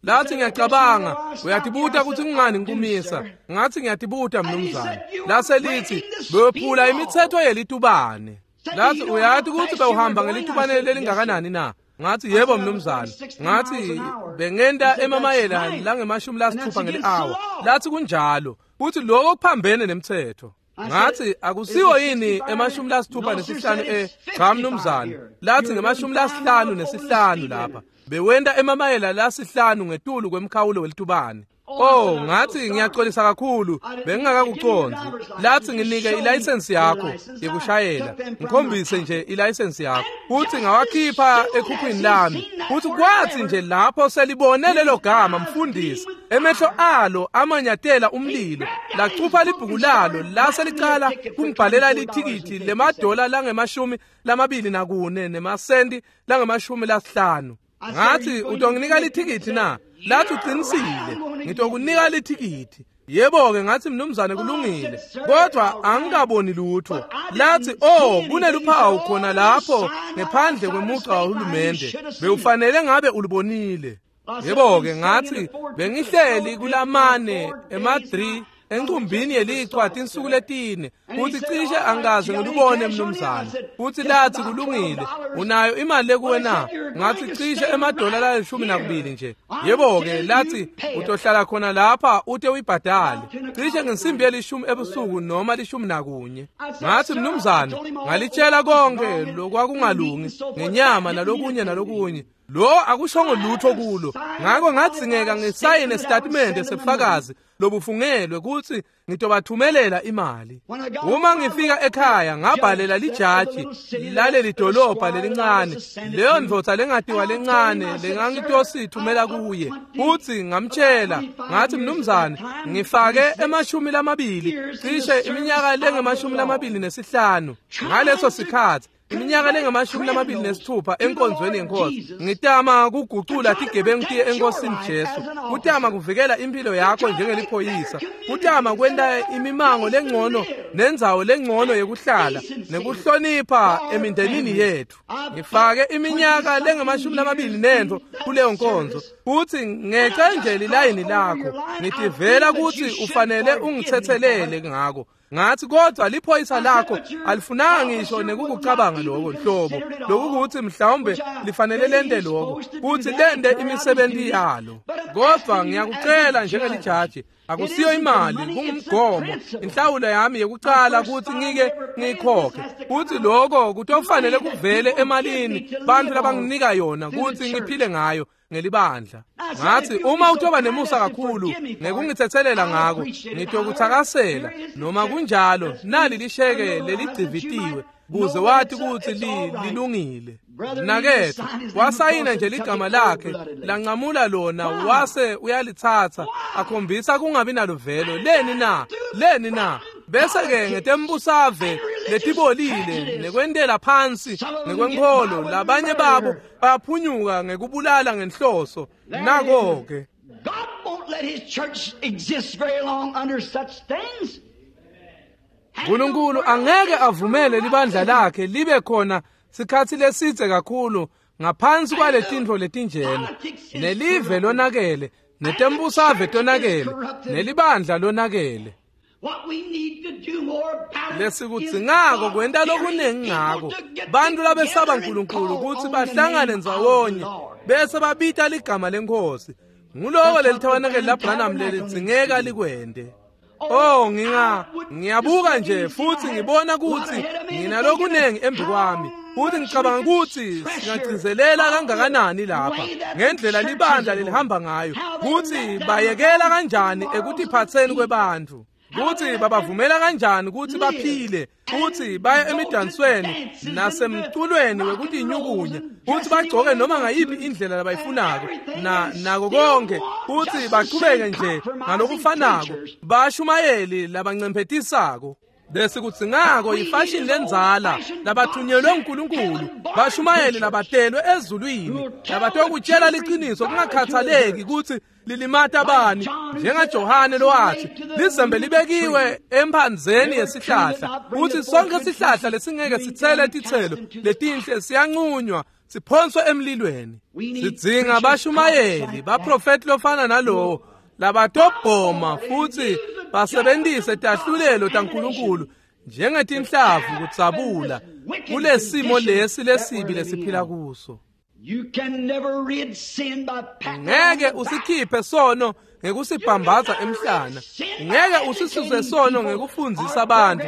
Lathi ngiyacabanga, uyatibuta ukuthi kungani ngikumisa. Ngathi ngiyatibuta mnumzane. Lase lithi bephula imithetho yelitubane. Lathi uyathi ukuthi bewuhamba ngelitubane lelingakanani na? Ngathi yebo mnumzane. Ngathi bengenta emamayela langemashumi lasithupha ngeli-hour. Lathi kunjalo, futhi lokho kuphambene nemthetho. Ngathi akusiwo yini emashumi lasithupha nesihlanu e cha mnumzane. Lathi ngemashumi lasihlanu nesihlanu lapha. Bewenta emamayela lasihlanu ngetulu kwemkhawulo welitubane. Oh, ngathi ngiyaxolisa kakhulu, bengingakakucondzi. Lathi nginike ilayisensi yakho yekushayela, ngikhombise nje ilayisensi yakho. Futhi ngawakhipha ekhukhwini lami. Futhi kwathi nje lapho selibone lelo gama mfundisi, emehlo alo amanyatela umlilo, lacupha libhuku lalo lase licala kungibhalela lithikithi lemadola langemashumi lamabili nakune nemasenti langemashumi lasihlanu. Ngathi utonginika lithikithi na? Lathi uqinisile, ngitokunika lithikithi. Yebo-ke, ngathi mnumzane kulungile, kodwa angikaboni lutho. Lathi oh, kuneluphawu khona lapho ngephandle kwemugqa wahulumende, bewufanele ngabe ulubonile. Yebo-ke, ngathi bengihleli kulamane ema-three encumbini yelichwa tinsuku letine futhi cishe angikaze ngilubone mnumzane. Futhi lathi kulungile, unayo imali lekuwe na? Ngathi cishe emadola lalishumi nakubili nje. Yebo-ke lathi utohlala khona lapha ute uyibhadale cishe ngensimbi yelishumi ebusuku noma lishumi nakunye. Ngathi mnumzane, ngalitshela konke lokwakungalungi ngenyama nalokunye nalokunye. Lo akushongo lutho kulo. Ngakho ngadzingeka ngisayine isitatimende sebufakazi lobufungelwe ukuthi ngitobathumelela imali. Uma ngifika ekhaya ngabhalela lijaji laleli dolobha lelincane, leyo ndvodza lengatiwa lencane lengangitosithumela kuye, futhi ngamtshela ngathi mnumzane, ngifake emashumi lamabili cishe iminyaka lengemashumi lamabili nesihlanu ngaleso sikhathi, iminyaka lengamashumi lamabili nesithupha enkonzweni yenkosi, ngitama kugucula tigebengu tiye enkosini Jesu, kutama kuvikela impilo yakho njengeliphoyisa, kutama kwenta imimango lengcono nendzawo lengcono yekuhlala nekuhlonipha emindenini yethu. Ngifake iminyaka lengamashumi lamabili nentfo kuleyo nkonzo, futhi ngece nje lilayini lakho, ngitivela kutsi ufanele ungithethelele ngako. Ngathi kodwa liphoyisa lakho alifunanga ngisho nekukucabanga lokho nhlobo, lokukuthi mhlawumbe lifanele lente lokho kuthi lente imisebenzi yalo. Kodwa ngiyakucela njengelijaji, akusiyo imali, kungumgomo, inhlawulo yami yekucala kuthi ngike ngiyikhokhe, kuthi lokho kutofanele kuvele emalini bantu labanginika yona kuthi ngiphile ngayo ngelibandla. Ngathi uma utoba nemusa kakhulu ngekungithetselela ngako, ngitokuthakasela noma kunjalo nali lisheke leligcivitiwe kuze wathi kuthi lilungile. Nakethu wasayina nje ligama lakhe lancamula lona wase uyalithatha akhombisa kungabi naluvelo. Leni na? Leni na? Bese-ke ngetembusave letibolile nekwentela phansi ngekwenkholo labanye babo bayaphunyuka ngekubulala ngenhloso. Nako-ke God won't let his church exist very long under such things. uNkulunkulu angeke avumele libandla lakhe libe khona sikhathi lesitse kakhulu ngaphansi kwaletintfo letinjena. Nelive lonakele, netembusave tonakele, nelibandla lonakele. Lesikudzingako kwenta lokunengi ngako bantu labesaba uNkulunkulu kutsi bahlangane ndzawonye bese babita ligama leNkhosi. Nguloko lelithabanakeli laBranham lelidzingeka likwente. Oh, nginga ngiyabuka nje futhi ngibona ukuthi nginalokunengi embi kwami, futhi ngicabanga ukuthi singagcizelela kangakanani lapha ngendlela libandla lelihamba ngayo, ukuthi bayekela kanjani ekutiphatseni kwebantfu, ukuthi babavumela kanjani ukuthi baphile, futhi baye emidansweni nasemculweni wekutinyukunya, futhi bagcoke noma ngayiphi indlela labayifunako na nako konke, futhi baqhubeke nje ngalokufanako bashumayeli labancemphetisako. Lesikudzingako yifashini lendzala labathunyelwe nguNkulunkulu, bashumayeli labatelwe ezulwini labatokutshela liqiniso kungakhathaleki kutsi lilimata bani, njengaJohane lowathi lizembe libekiwe emphandzeni yesihlahla, kutsi sonke sihlahla lesingeke sitsele titselo letinhle siyanqunywa siphonswe emlilweni. Sidzinga bashumayeli baprofeti lofana nalowo labatobhoma futhi basebenzise tahlulelo taNkulunkulu njengetinhlavu kudzabula kulesimo lesi lesibi lesiphila kuso. Ngeke usikhiphe sono ngekusibhambaza emhlana, ngeke usisuse sono ngekufundzisa abantu.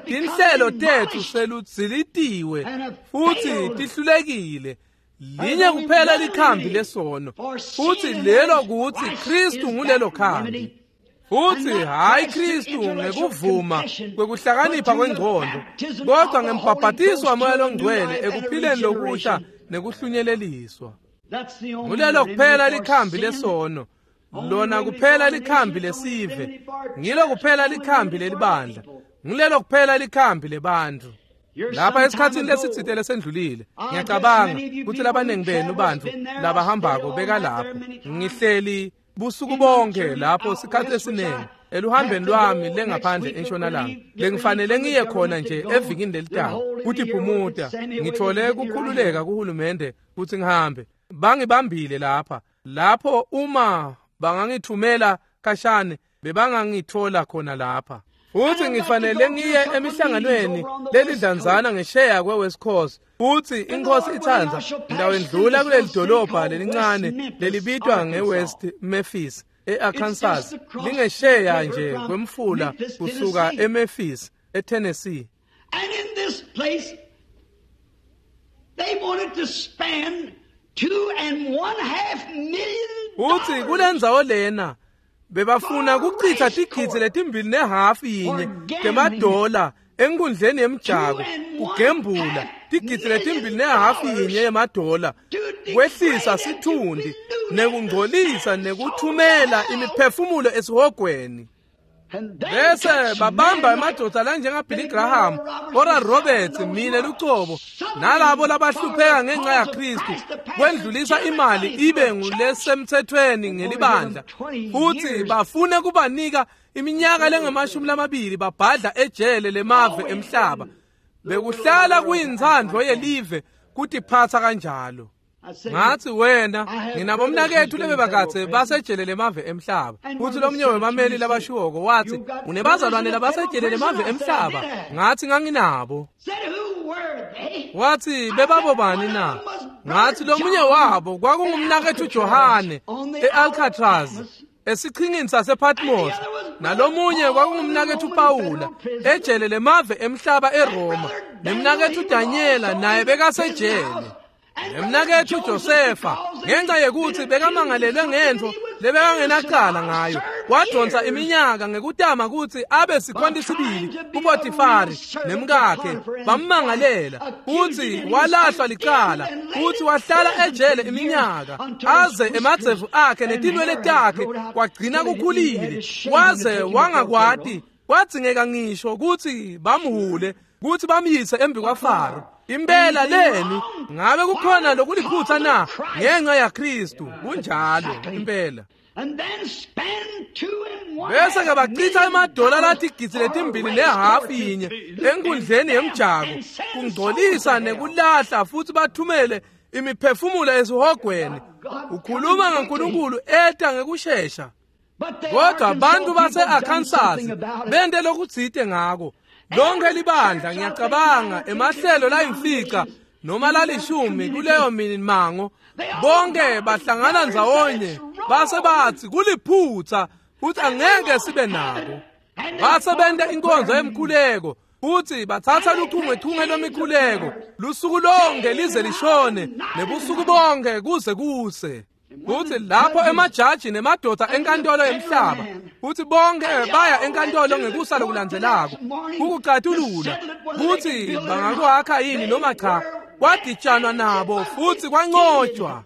Tinhlelo tethu seludzilitiwe futhi tihlulekile. Linye kuphela likhambi lesono, futhi lelo kuthi Kristu ngulelo khambi. Futhi hayi Kristu ngekuvuma kwekuhlakanipha kwengcondo, kodwa ngembhabhatiso waMoya loNgcwele ekuphileni lokusha nekuhlunyeleliswa. Ngulelo kuphela likhambi lesono, lona kuphela likhambi lesive, ngilo kuphela likhambi lelibandla, ngilelo kuphela likhambi lebantfu. Lapha esikhatsini lesitsite lesendlulile, ngiyacabanga kutsi labanengi benu bantfu labahambako bekalapho. Ngihleli busuku bonke lapho sikhathi esiningi eluhambeni lwami lengaphandle entshonalanga lengifanele ngiye khona nje evikini lelitako kuthi phumuta ngithole kukhululeka kuhulumende kutsi ngihambe. Bangibambile lapha lapho uma bangangithumela kashane Bebangangithola khona lapha. Futhi ngifanele ngiye emihlanganweni lelidlanzana ngesheya kwe-West Coast. Futhi inkosi itsandza ngitawendlula kuleli dolobha lelincane lelibitwa nge-West Memphis e-Arkansas, lingesheya nje kwemfula kusuka eMemphis eTennessee. And in this place they wanted to spend two and one half million. Uthi kulendzawo lena bebafuna kuchitha tigidzi letimbili nehafu yinye temadola enkundleni yemjako kugembula tigidzi letimbili nehafu yinye yemadola kwehlisa sithundi nekungcolisa nekuthumela imiphefumulo esihogweni. Bese babamba emadoda lanjengaBilly Graham, Oral Roberts, mine lucobo nalabo labahlupheka ngenxa yaKristu kwendlulisa imali ibe ngulesemthethweni ngelibandla, futhi bafune kubanika iminyaka lengamashumi lamabili babhadla ejele lemave emhlaba. Bekuhlala kuyintsandvo yelive kutiphatsa kanjalo. Ngathi wena nginabomnakethu lebebakatse basejele lemave emhlaba. Futhi lomnye wemameli labashiwoko wathi unebazalwane labasejele lemave emhlaba. Ngathi nganginabo. Wathi bebabo bani na? Ngathi lomunye wabo kwakungumnakethu Johane e-Alcatraz esiqhingini sasePatmos, nalomunye kwakungumnakethu Paula ejele lemave emhlaba eRoma, nemnakethu Daniela naye bekasejele. Nemnakethu Josefa ngenxa yekuthi bekamangalelwe ngentfo lebekangenacala ngayo wadonsa iminyaka ngekutama kutsi abe sikhonti sibili kuPotifari nemkakhe bammangalela futsi walahlwa licala futsi wahlala ejele iminyaka aze emadzevu akhe netinwele takhe kwagcina kukhulile waze wangakwati kwadzingeka ngisho kutsi bamhule kutsi bamyise embi kwaFaro. Impela leni ngabe kukhona lokuliphutha na ngenxa yaKristu? Kunjalo impela. Bese ke bachitha emadola latigidzi letimbili nehafu yinye enkundleni yemjako kungcolisa nekulahla futhi bathumele imiphefumulo esihogweni. Ukhuluma ngaNkulunkulu eta ngekushesha. Kodwa bantu base-Arkansas bente lokutsite ngako. Lonke libandla ngiyacabanga emahlelo layimfica noma lalishumi kuleyo mimango bonke bahlangana ndzawonye base bathi kuliphutha futhi angeke sibe nako. Base benta inkonzo yemkhuleko futhi bathatha luchungechunge lwemikhuleko lusuku lonke lize lishone nebusuku bonke kuze kuse. Futhi lapho emajaji nemadoda enkantolo yemhlaba futhi bonke baya enkantolo ngekusa lokulandzelako kukucatulula kutsi bangakwakha yini noma cha. Kwadijanwa nabo futhi kwanqotshwa.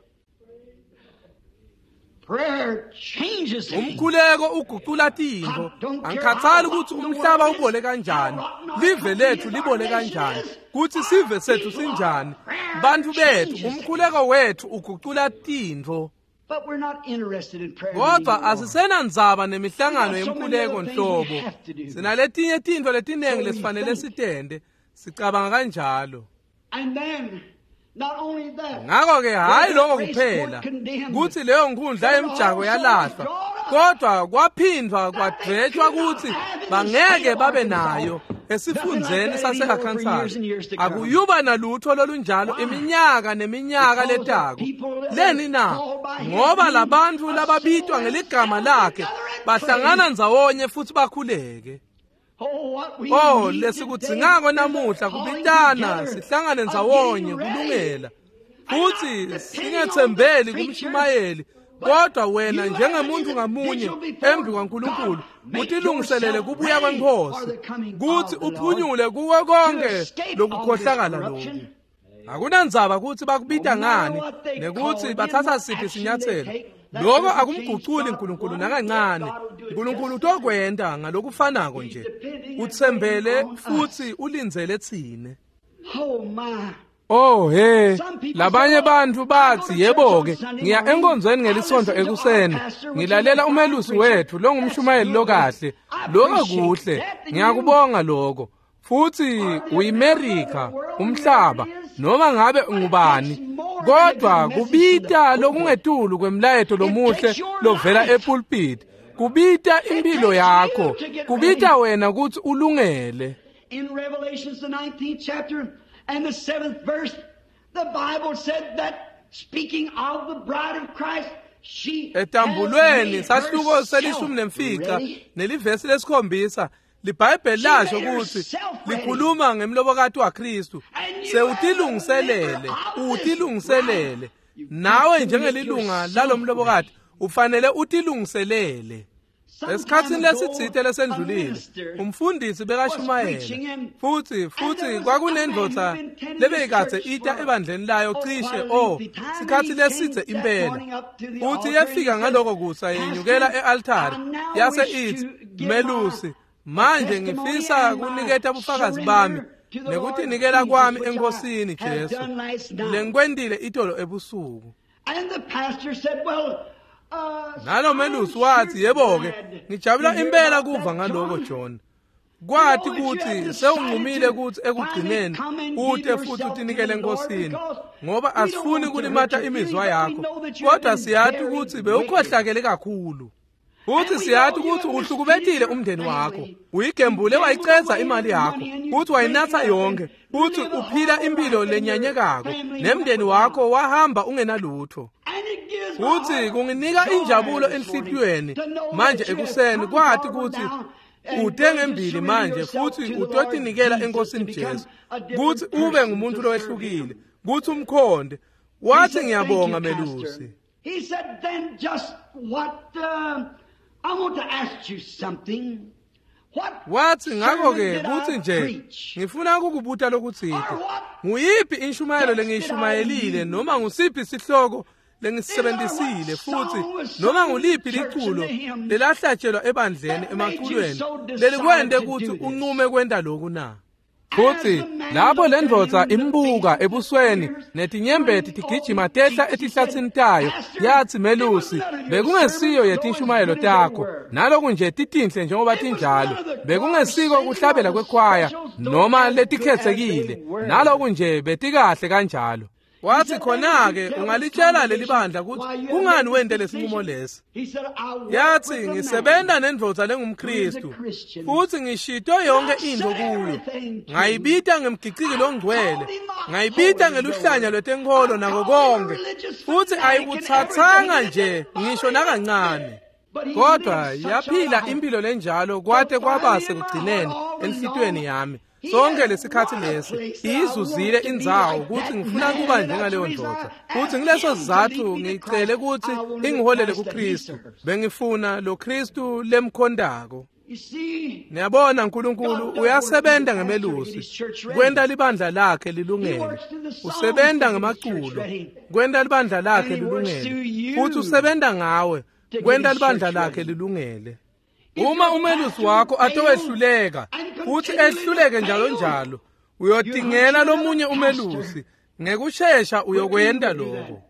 Umkhuleko ugucula tintfo. Angikhathali ukuthi umhlaba ubole kanjani, live lethu libole kanjani, kutsi sive sethu sinjani, bantfu bethu, umkhuleko wethu ugucula tintfo. Kodwa asisenandzaba nemihlangano yemkhuleko nhlobo. Sinaletinye tintfo letinengi lesifanele sitente, sicabanga kanjalo. Ngakho-ke hhayi lokho kuphela kutsi leyo nkundla yemjako yalahlwa, kodwa kwaphindwa kwadvwetshwa kutsi bangeke babe nayo esifundzeni sase-Arkansas. Akuyuba nalutho lolunjalo iminyaka neminyaka letako. Leni na? Ngoba labantfu lababitwa ngeligama lakhe bahlangana ndzawonye futhi bakhuleke. Oh, lesikudzingako namuhla kubitana sihlangane ndzawonye kulungela futhi singethembeli kumshumayeli, kodwa wena njengemuntu ngamunye embi kwaNkulunkulu utilungiselele kubuya kweNkosi kutsi uphunyule kuko konke lokukhohlakala lokhu. Akunandzaba kutsi bakubita ngani nekutsi bathatha siphi sinyatselo, lokho akumguculi uNkulunkulu nakancane. uNkulunkulu utokwenta ngalokufanako nje. Utsembele futhi ulindzele tsine. Oh he, labanye bantfu batsi yebo-ke ngiya enkonzweni ngelisonto ekuseni ngilalela umelusi wethu longumshumayeli lokahle. Lokho kuhle, ngiyakubonga lokho. Futhi uyiMerika, umhlaba, noma ngabe ngubani, kodwa kubita lokungetulu kwemlayeto lomuhle lovela epulpit. Kubita impilo yakho, kubita wena kutsi ulungele. In Revelations the nineteenth chapter and the seventh verse, the Bible said that speaking of the bride of Christ, she Etambulweni sahluko selishumi nemfica nelivesi lesikhombisa liBhayibheli lasho kutsi likhuluma ngemlobokati waKristu sewutilungiselele utilungiselele nawe njengelilunga lalomlobokati ufanele utilungiselele. Esikhatsini lesitsite lesendlulile umfundisi bekashumayela futsi futsi kwakunendvodza lebeyikadze ita ebandleni layo cishe oh sikhatsi lesitse impela futsi yefika ngaloko kusa yenyukela e-altari yase itsi melusi manje ngifisa kuniketa bufakazi bami nekutinikela kwami eNkosini Jesu lengikwentile itolo ebusuku. And the pastor said, well, nalo melusi wathi yebo-ke ngijabula impela kuva ngaloko John kwathi kutsi sewunqumile kutsi ekugcineni ute futhi utinikele eNkosini ngoba asifuni kulimata imizwa yakho kodwa siyati kutsi bewukhohlakele kakhulu futhi siyati kutsi uhlukubetile umndeni wakho uyigembule wayicedza imali yakho futhi wayinatsa yonke futhi uphila impilo lenyanyekako nemndeni wakho wahamba ungenalutho. Futhi kunginika injabulo enhlitiyweni manje ekuseni kwathi kutsi ute ngembili manje futhi utotinikela eNkosini Jesu kutsi ube ngumuntu lowehlukile kutsi umkhonde. Wathi ngiyabonga melusi. He said then just what uh, I want to ask you something. Wathi ngakho-ke kutsi nje ngifuna ukukubuta lokutsite nguyiphi inshumayelo lengiyishumayelile noma ngusiphi sihloko lengisebenzisile futhi noma nguliphi liculo lelahlatshelwa ebandleni emaculweni lelikwente kutsi unqume kwenta loku na? Futhi lapho lendvodza imbuka ebusweni netinyembeti tigijima tehla etihlatsini tayo yathi melusi bekungesiyo yetinshumayelo takho naloku nje titinhle njengoba tinjalo bekungesiko kuhlabela kwekhwaya noma letikhethekile naloku nje betikahle kanjalo. Wathi khona-ke ungalitshela leli bandla kutsi kungani wente lesinqumo lesi. Yathi ngisebenta nendvodza lengumKristu futhi ngishito yonke intfo kuyo ngayibita ngemgiciki longcwele ngayibita ngeluhlanya lwetenkholo nako konke futhi ayikutsatsanga nje ngisho nakancane kodwa yaphila impilo lenjalo kwate kwaba sekugcineni enhlitiyweni yami. Sonke lesikhathi lesi iyizuzile indzawo kutsi ngifuna kuba njengaleyo ndvodza futhi ngileso sizathu ngicele kutsi ingiholele kuKristu bengifuna lo Kristu lemkhondako. Niyabona uNkulunkulu uyasebenza ngemelusi kwenta libandla lakhe lilungele usebenta ngemaculo kwenta libandla lakhe lilungele futhi usebenta ngawe kwenta libandla lakhe lilungele. Uma umelusi wakho atowehluleka futhi ehluleke njalo njalo uyotingela lomunye umelusi ngekushesha uyokwenta lokho.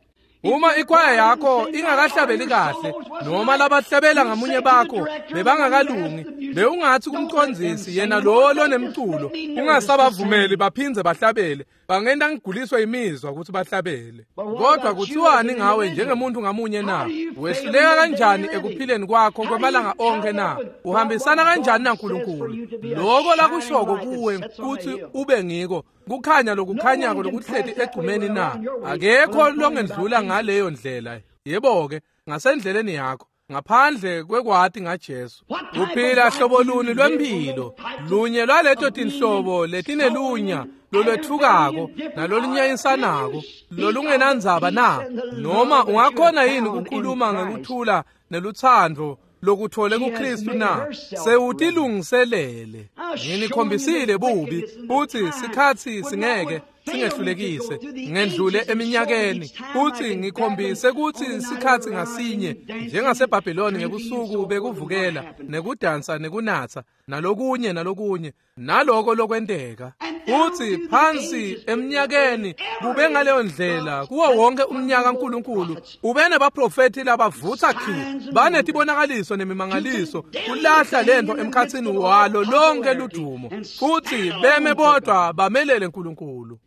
Uma ikwaya yakho ingakahlabeli kahle noma labahlabela ngamunye bakho bebangakalungi bewungathi kumcondzisi yena lo lonemculo ungasabavumeli baphindze bahlabele bangenta ngiguliswe imizwa ukuthi bahlabele. Kodwa kuthiwani ngawe njengemuntu ngamunye na? Wehluleka kanjani ekuphileni kwakho kwemalanga onke na? Uhambisana kanjani naNkulunkulu? Lokho lakushoko kuwe kuthi ube ngiko kukhanya lokukhanyako lokuhleti egcumeni na? Akekho longendlula ngaleyo ndlela. Yebo-ke ngasendleleni yakho ngaphandle kwekwati ngaJesu. Uphila hlobo luni lwempilo lunye lwaleto tinhlobo letinelunya lolwethukako nalolunyanyisanako lolungenandzaba na? Noma ungakhona yini ukukhuluma ngekuthula nelutsandvo lokuthole kuKristu na? Sewutilungiselele. Nginikhombisile bubi futhi sikhatsi singeke singehlulekise ngendlule eminyakeni futhi ngikhombise kutsi sikhatsi ngasinye njengaseBhabhiloni ngebusuku bekuvukela nekudansa nekunatsa nalokunye nalokunye naloko lokwenteka futhi phansi eminyakeni kube ngaleyo ndlela kuwo wonke umnyaka uNkulunkulu ube nebaprofethi labavutsa khi banetibonakaliso nemimangaliso kulahla lento emkhatsini walo lonke ludumo futhi beme bodwa bamelele uNkulunkulu.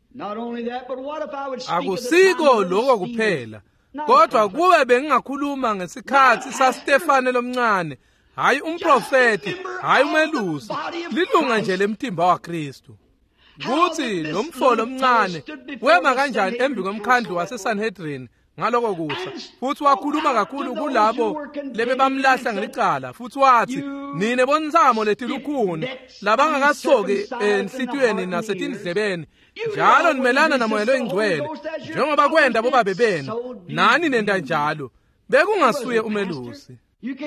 Akusiko lokho kuphela Kodwa kube bengingakhuluma ngesikhatsi saStefane lomncane, hayi umprofeti, hayi umelusi, lilunga nje lemtimba waKristu. Kutsi lo mfo lomncane wema kanjani embi kwemkhandlu waseSanhedrin ngaloko kusa, futsi wakhuluma kakhulu kulabo lebebamlahla ngelicala, futsi watsi, nine bontsamo letilukhuni labangakasoki enhlitiyweni nasetindlebeni, njalo nimelana naMoya loyiNgcwele njengoba kwenta bobabe benu, nani nenta njalo. Bekungasuye umelusi.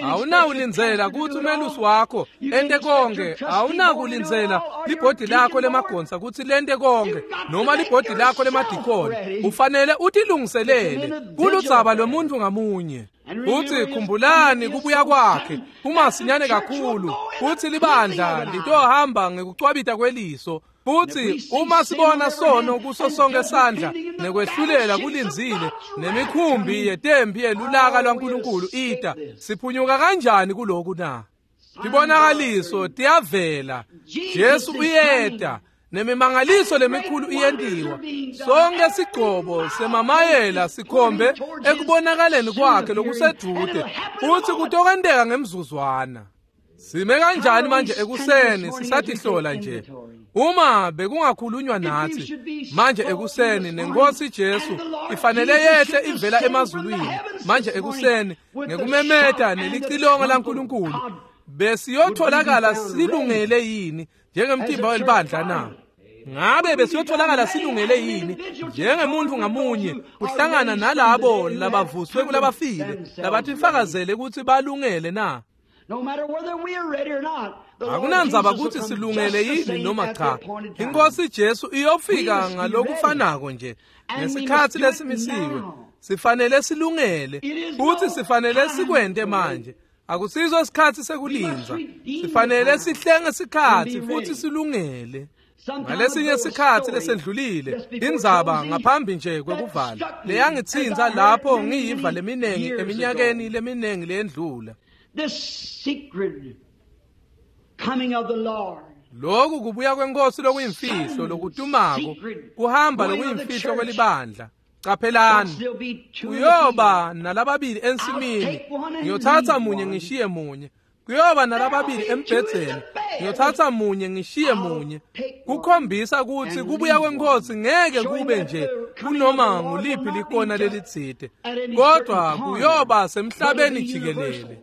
Awunawulindzela kutsi umelusi wakho ente konke, awunakulindzela libhodi lakho lemagonsa kutsi lente konke noma libhodi lakho lemadikoni. Ufanele utilungiselele kuludzaba lwemuntfu ngamunye. Futsi khumbulani kubuya kwakhe kumasinyane kakhulu, futsi libandla litohamba ngekucwabita kweliso. Futsi uma sibona sono kuso sonke sandla nekwehlulela kulindzile nemikhumbi yetempi yelulaka lwaNkulunkulu ita, siphunyuka kanjani kuloku na? Tibonakaliso tiyavela, Jesu uyeta, nemimangaliso lemikhulu iyentiwa. Sonke sigcobo semamayela sikhombe ekubonakaleni kwakhe lokusedvute, futsi kutokwenteka ngemzuzwana. Sime kanjani manje ekuseni sisatihlola nje? Uma bekungakhulunywa natsi manje ekuseni, nenkosi Jesu ifanele yehle ivela emazulwini manje ekuseni ngekumemeta nelicilongo laNkulunkulu, besiyotholakala silungele yini njengemtimba welibandla na? Ngabe besiyotholakala silungele yini njengemuntu ngamunye kuhlangana nalabo labavuswe kulabafile labatifakazele kutsi balungele na? Akunandzaba kutsi silungele yini noma cha, inkosi Jesu iyofika ngalokufanako nje ngesikhatsi lesimisiwe. Sifanele silungele futsi sifanele sikwente manje. Akusiso isikhatsi sekulindza, sifanele sihlenge sikhatsi futsi silungele. Ngalesinye sikhatsi lesendlulile, indzaba ngaphambi nje kwekuvala leyangitsintsa lapho ngiyiva leminengi eminyakeni leminengi leyendlula. This secret coming of the Lord. Lokhu kubuya kwenkosi lokuyimfihlo lokutumako, kuhamba lokuyimfihlo kwelibandla. Qaphelani, kuyoba nalababili ensimini, ngiyothatha munye ngishiye munye. Kuyoba nalababili embhedzeni, ngiyothatha munye ngishiye munye. Kukhombisa kutsi kubuya kwenkosi ngeke kube nje kunoma nguliphi likona lelitsite, kodwa kuyoba semhlabeni jikelele.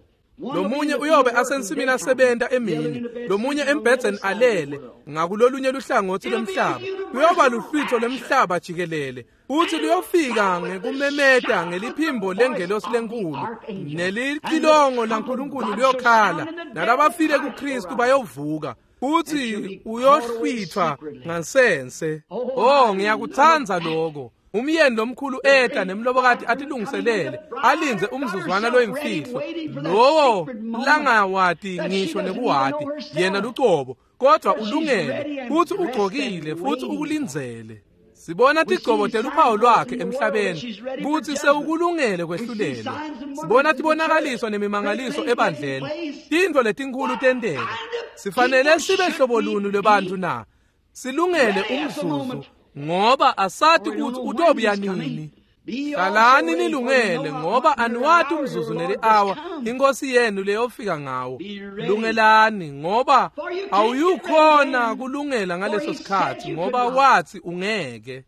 Lomunye uyobe asensimini asebenta emini, lomunye embhedzeni alele ngakulolunye luhlangotsi lwemhlaba. Kuyoba luhlwitho lwemhlaba jikelele, futsi luyofika ngekumemeta ngeliphimbo lengelosi lenkulu, nelicilongo laNkulunkulu luyokhala, nalabafile kuKristu bayovuka, futsi uyohlwithwa ngansense. Oh, ngiyakutsandza lokho. Umyeni lomkhulu eta nemlobokati atilungiselele, alindze umzuzwana loyimfihlo, lowo langawati ngisho nekuwati yena lucobo, kodwa ulungele futsi ugcokile futsi ukulindzele. Sibona tigcobo teluphawu lwakhe emhlabeni kutsi sewukulungele kwehlulelwa. Sibona tibonakaliso nemimangaliso ebandleni, tintfo letinkhulu tenteka. Sifanele sibe hlobo luni lwebantfu na? Silungele umzuzu, ngoba asati kutsi utobuya nini. Hlalani nilungele, ngoba aniwati umzuzu neli-awa inkosi yenu leyofika ngawo. Lungelani, ngoba awuyukhona kulungela ngaleso sikhatsi, ngoba watsi ungeke.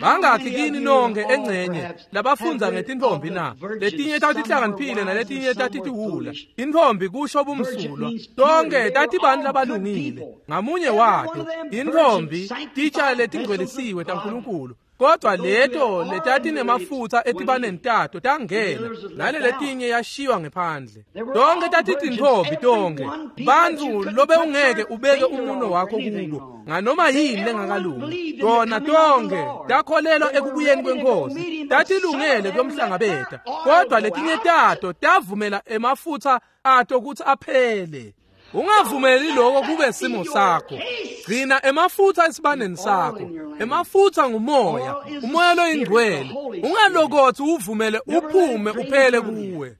Bangakhi kini nonke engcenye labafundza ngetintfombi na? Letinye tatihlakaniphile naletinye tatitiwula. Intfombi kusho bumsulwa, tonke tatibantfu labalungile ngamunye wato. Intfombi titsha letingcwelisiwe taNkulunkulu, kodwa leto letatinemafutsa etibaneni tato tangena, nale letinye yashiywa ngephandle. Tonke tatitintfombi tonke, bantfu lobewungeke ubeke umuno wakho kubo nganoma yini lengakalungi. Tona tonke takholelwa ekubuyeni kwenkosi, tatilungele kuyomhlangabeta, kodwa letinye tato tavumela emafutsa ato kutsi aphele. Ungavumeli lokho kube simo sakho. Gcina emafutsa esibaneni sakho. Emafutsa ngumoya, umoya loyingcwele. Ungalokotsi uvumele uphume uphele kuwe.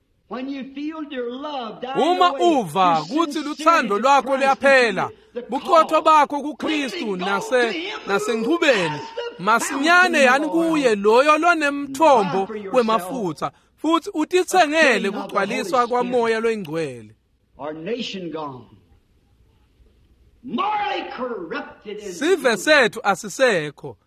Uma uva kutsi lutsandvo lwakho luyaphela, buqotho bakho kuKristu nase nasenchubeni Masinyane yani kuye loyo lonemthombo wemafutsa futsi utitsengele kugcwaliswa kwamoya loyingcwele. Sive sethu asisekho.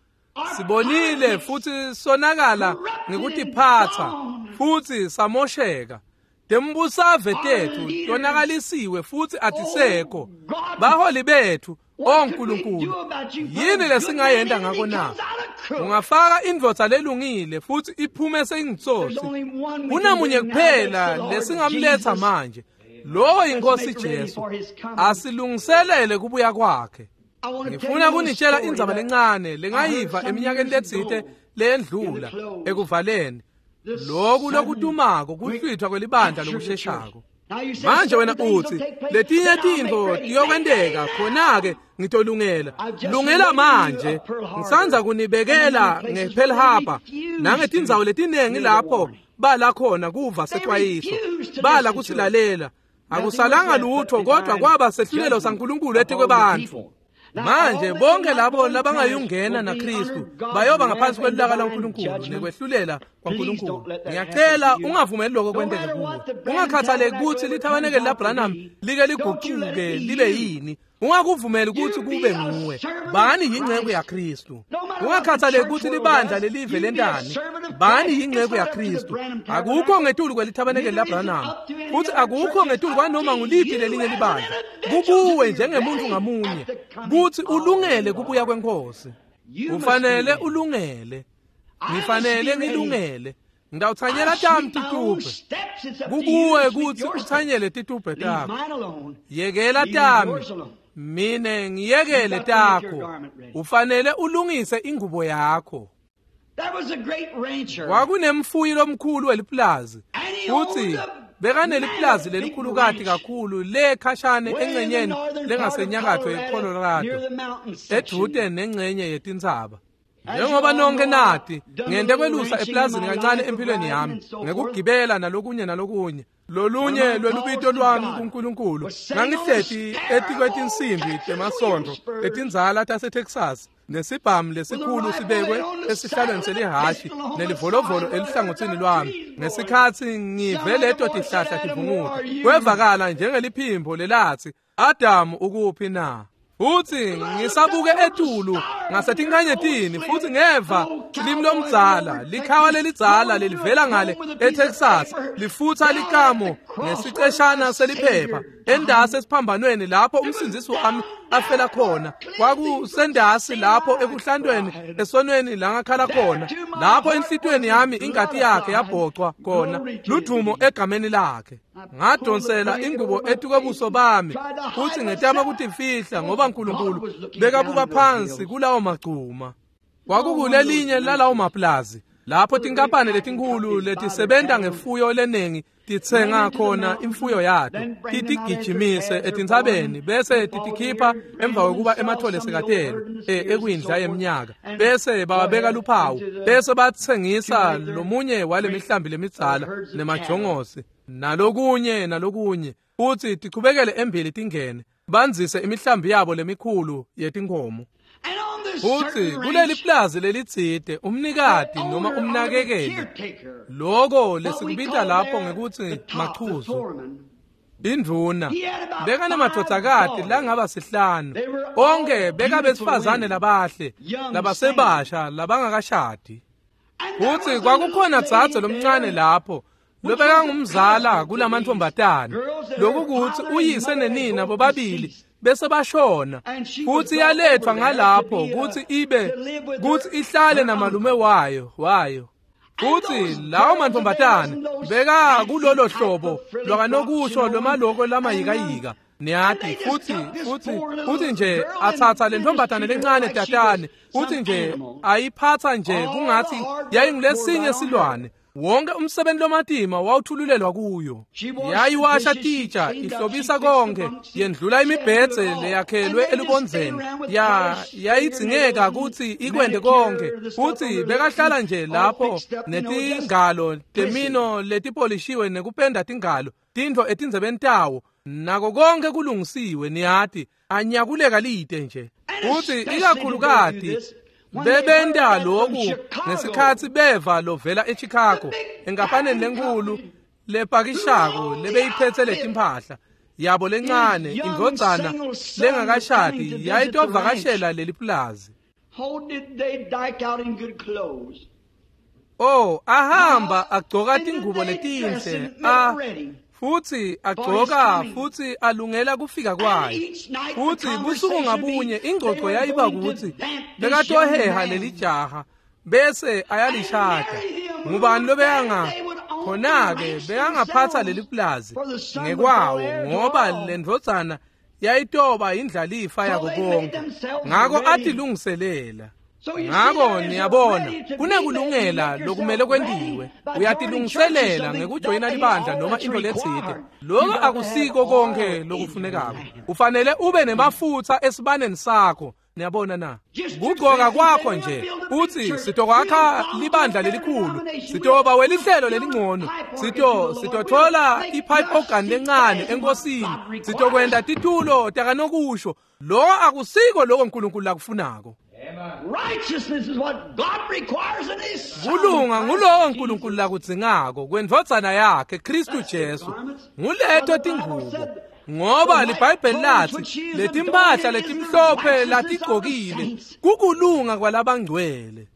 Sibonile futsi sonakala ngekutiphatsa futsi samosheka. Tembusave tethu tonakalisiwe futsi atisekho. Baholi bethu, o Nkulunkulu, yini lesingayenta ngako na? Ungafaka indvodza lelungile futsi iphume seyingitsotsi. Kunamunye kuphela lesingamletsa manje, lowo yiNkosi Jesu. Asilungiselele kubuya kwakhe. Ngifuna kunitshela indzaba lencane lengayiva eminyakeni letsite leyendlula ekuvaleni. Loku lokutumako kuhlwithwa kwelibandla lokusheshako. Manje wena utsi letinye tintfo tiyokwenteka, khona-ke ngitolungela. Lungela manje. Ngisandza kunibekela ngePearl Harbor nangetindzawo letinengi lapho bala khona kuva secwayiso, bala kusilalela. Akusalanga lutho kodwa kwaba sehlulelo saNkulunkulu etikwebantfu. Manje bonke labo labangayungena naKristu bayoba ngaphansi kwelulaka lwaNkulunkulu nekwehlulela kwaNkulunkulu. Ngiyacela ungavumeli lokho kwenteke kuwe. Ungakhathaleki kutsi lithabanekeli laBranham like ligucuke libe yini. Ungakuvumeli kutsi kube nguwe. Bani yinceku yaKristu. Ungakhathaleki kutsi libandla lelive lentani. Bani yinceku yaKristu. Akukho ngetulu kwelithabanekeli laBranham futsi akukho ngetulu kwanoma nguliphi lelinye libandla. Kukuwe njengemuntu ngamunye kutsi ulungele kubuya kweNkosi. Ufanele ulungele. Ngifanele ngilungele. Ngitawutsanyela tami titubhe. Kukuwe kutsi utsanyele titubhe takho. Yekela tami, mine ngiyekele takho. Ufanele ulungise ingubo yakho. Kwakunemfuyi lomkhulu weliplazi, futsi bekaneliplazi lelikhulukati kakhulu le khashane engcenyeni lengasenyakatfo yeColorado, edvute nengcenye yetintsaba. Njengoba nonke nati, ngente kwelusa eplazini kancane empilweni yami, ngekugibela nalokunye nalokunye. Lolunye lwelubito lwami kuNkulunkulu, ngangihleti etikwetinsimbi temasontfo letindzala taseTexas, nesibhamu lesikhulu sibekwe esihlalweni selihhashi nelivolovolo elihlangotsini lwami. Ngesikhatsi ngive leto tihlahla tivunguta, kwevakala njengeliphimbo lelatsi, Adamu ukuphi na? Futsi ngisabuke etulu ngasetinkhanyetini futsi ngeva limi lomdzala, likhawa lelidzala lelivela ngale eTexas, lifutsa likamo ngesiceshana seliphepha endasi esiphambanweni lapho umsindzisi wami afela khona. Kwakusendasi lapho ekuhlantweni esonweni langakhala khona, lapho enhlitiyweni yami ingati yakhe yabhocwa khona, ludumo egameni lakhe. Ngadonsela ingubo etukwebuso bami futsi ngetama kutifihla ngoba uNkulunkulu bekabuka phansi kulawo magcuma. Kwakukulelinye lalawo maplazi lapho tinkampani letinkhulu letisebenta ngefuyo lenengi titsenga khona imfuyo yato, titigijimise etintsabeni bese titikhipha emva kwekuba emathole sekatele ekwindla yeminyaka, bese bawabeka luphawu, bese batsengisa lomunye wale mihlambi lemidzala nemajongosi nalokunye nalokunye, futsi tichubekele embili tingene bandzise imihlambi yabo lemikhulu yetinkhomo. Futsi kuleli plazi lelitsite umnikati noma umnakekeli, loko lesikubita lapho ngekutsi machuzu, indvuna, bekanemadvodzakati langaba sihlanu, onke bekabesifazane labahle labasebasha labangakashadi. Futsi kwakukhona dzadze lomncane lapho lobekangumzala kulamantfombatane, lokukutsi uyise nenina bobabili bese bashona, futsi yaletfwa ngalapho kutsi ibe kutsi ihlale namalume wayo wayo. Futsi lawo mantfombatane beka kulolo hlobo lwakanokusho lwemaloko lamayikayika, niyati, futsi futsi futsi nje atsatsa le ntombazane lencane tatane, futsi nje ayiphatsa nje kungatsi yayingulesinye silwane. Wonke umsebenzi lomatima wawuthululelwa kuyo. Yayiwasha titsha, ihlobisa konke, yendlula imibhedze leyakhelwe elubondzeni. Ya yayidzingeka kutsi ikwente konke, futsi bekahlala nje lapho netingalo temino letipolishiwe nekupenda tingalo, tintfo etindzebeni tawo, nako konke kulungisiwe, niyati, anyakuleka lite nje. Futsi ikakhulukati Bebenta lokhu ngesikhatsi beva lovela eChicago enkampaneni lenkhulu lepakishako lebeyiphetse letimpahla yabo lencane indvodzana lengakashadi yayitovakashela leli pulazi. Oh, ahamba agcoka tingubo letinhle a futsi agcoka futsi alungela kufika kwayo. Futsi busuku ngabunye ingcoco yayiba kutsi bekatoheha leli jaha bese ayalishada. Ngubani lobeyanga khona-ke bekangaphatsa leli pulazi ngekwawo ngoba lendvodzana yayitoba indlalifa yako konke. Ngako atilungiselela. Ngako niyabona kunekulungela lokumele kwentiwe. Uyatilungiselela ngekujoyina libandla noma into letsite. Lokho akusiko konke lokufunekako. Ufanele ube nemafutsa esibaneni sakho. Niyabona na? Kugcoka kwakho nje uthi sitokwakha libandla lelikhulu, sitoba welihlelo lelingcono, sito sitothola ipipe organ lencane enkosini, sitokwenta titulo takanokusho. Lokho akusiko lokho uNkulunkulu lakufunako. Kulunga ngulowo uNkulunkulu lakudzingako kwendvodzana yakhe Kristu Jesu. Nguleto tingubo. Ngoba liBhayibheli lathi letimpahla letimhlophe latigcokile kukulunga kwalabangcwele.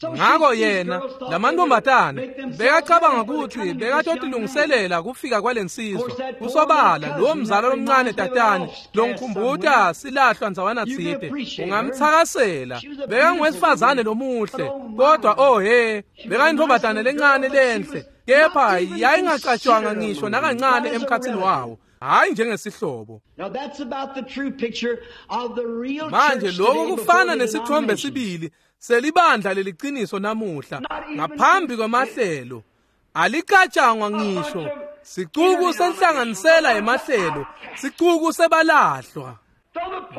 Ngako yena lamantombazane bekacabanga ukuthi bekatotilungiselela kufika kwalensizwa. Kusobala lo mzala lomncane tatane longikhumbuta silahlwa ndzawana tsite ungamtsakasela. Bekangwesifazane lomuhle kodwa oh he bekayintombazane lencane lenhle kepha yayingacatshwanga ngisho nakancane emkhatsini wawo. Hayi njengesihlobo. Manje lokho kufana nesithombe sibili selibandla leliciniso namuhla ngaphambi kwemahlelo. Alicatshangwa ngisho sicuku senhlanganisela emahlelo, sicuku sebalahlwa.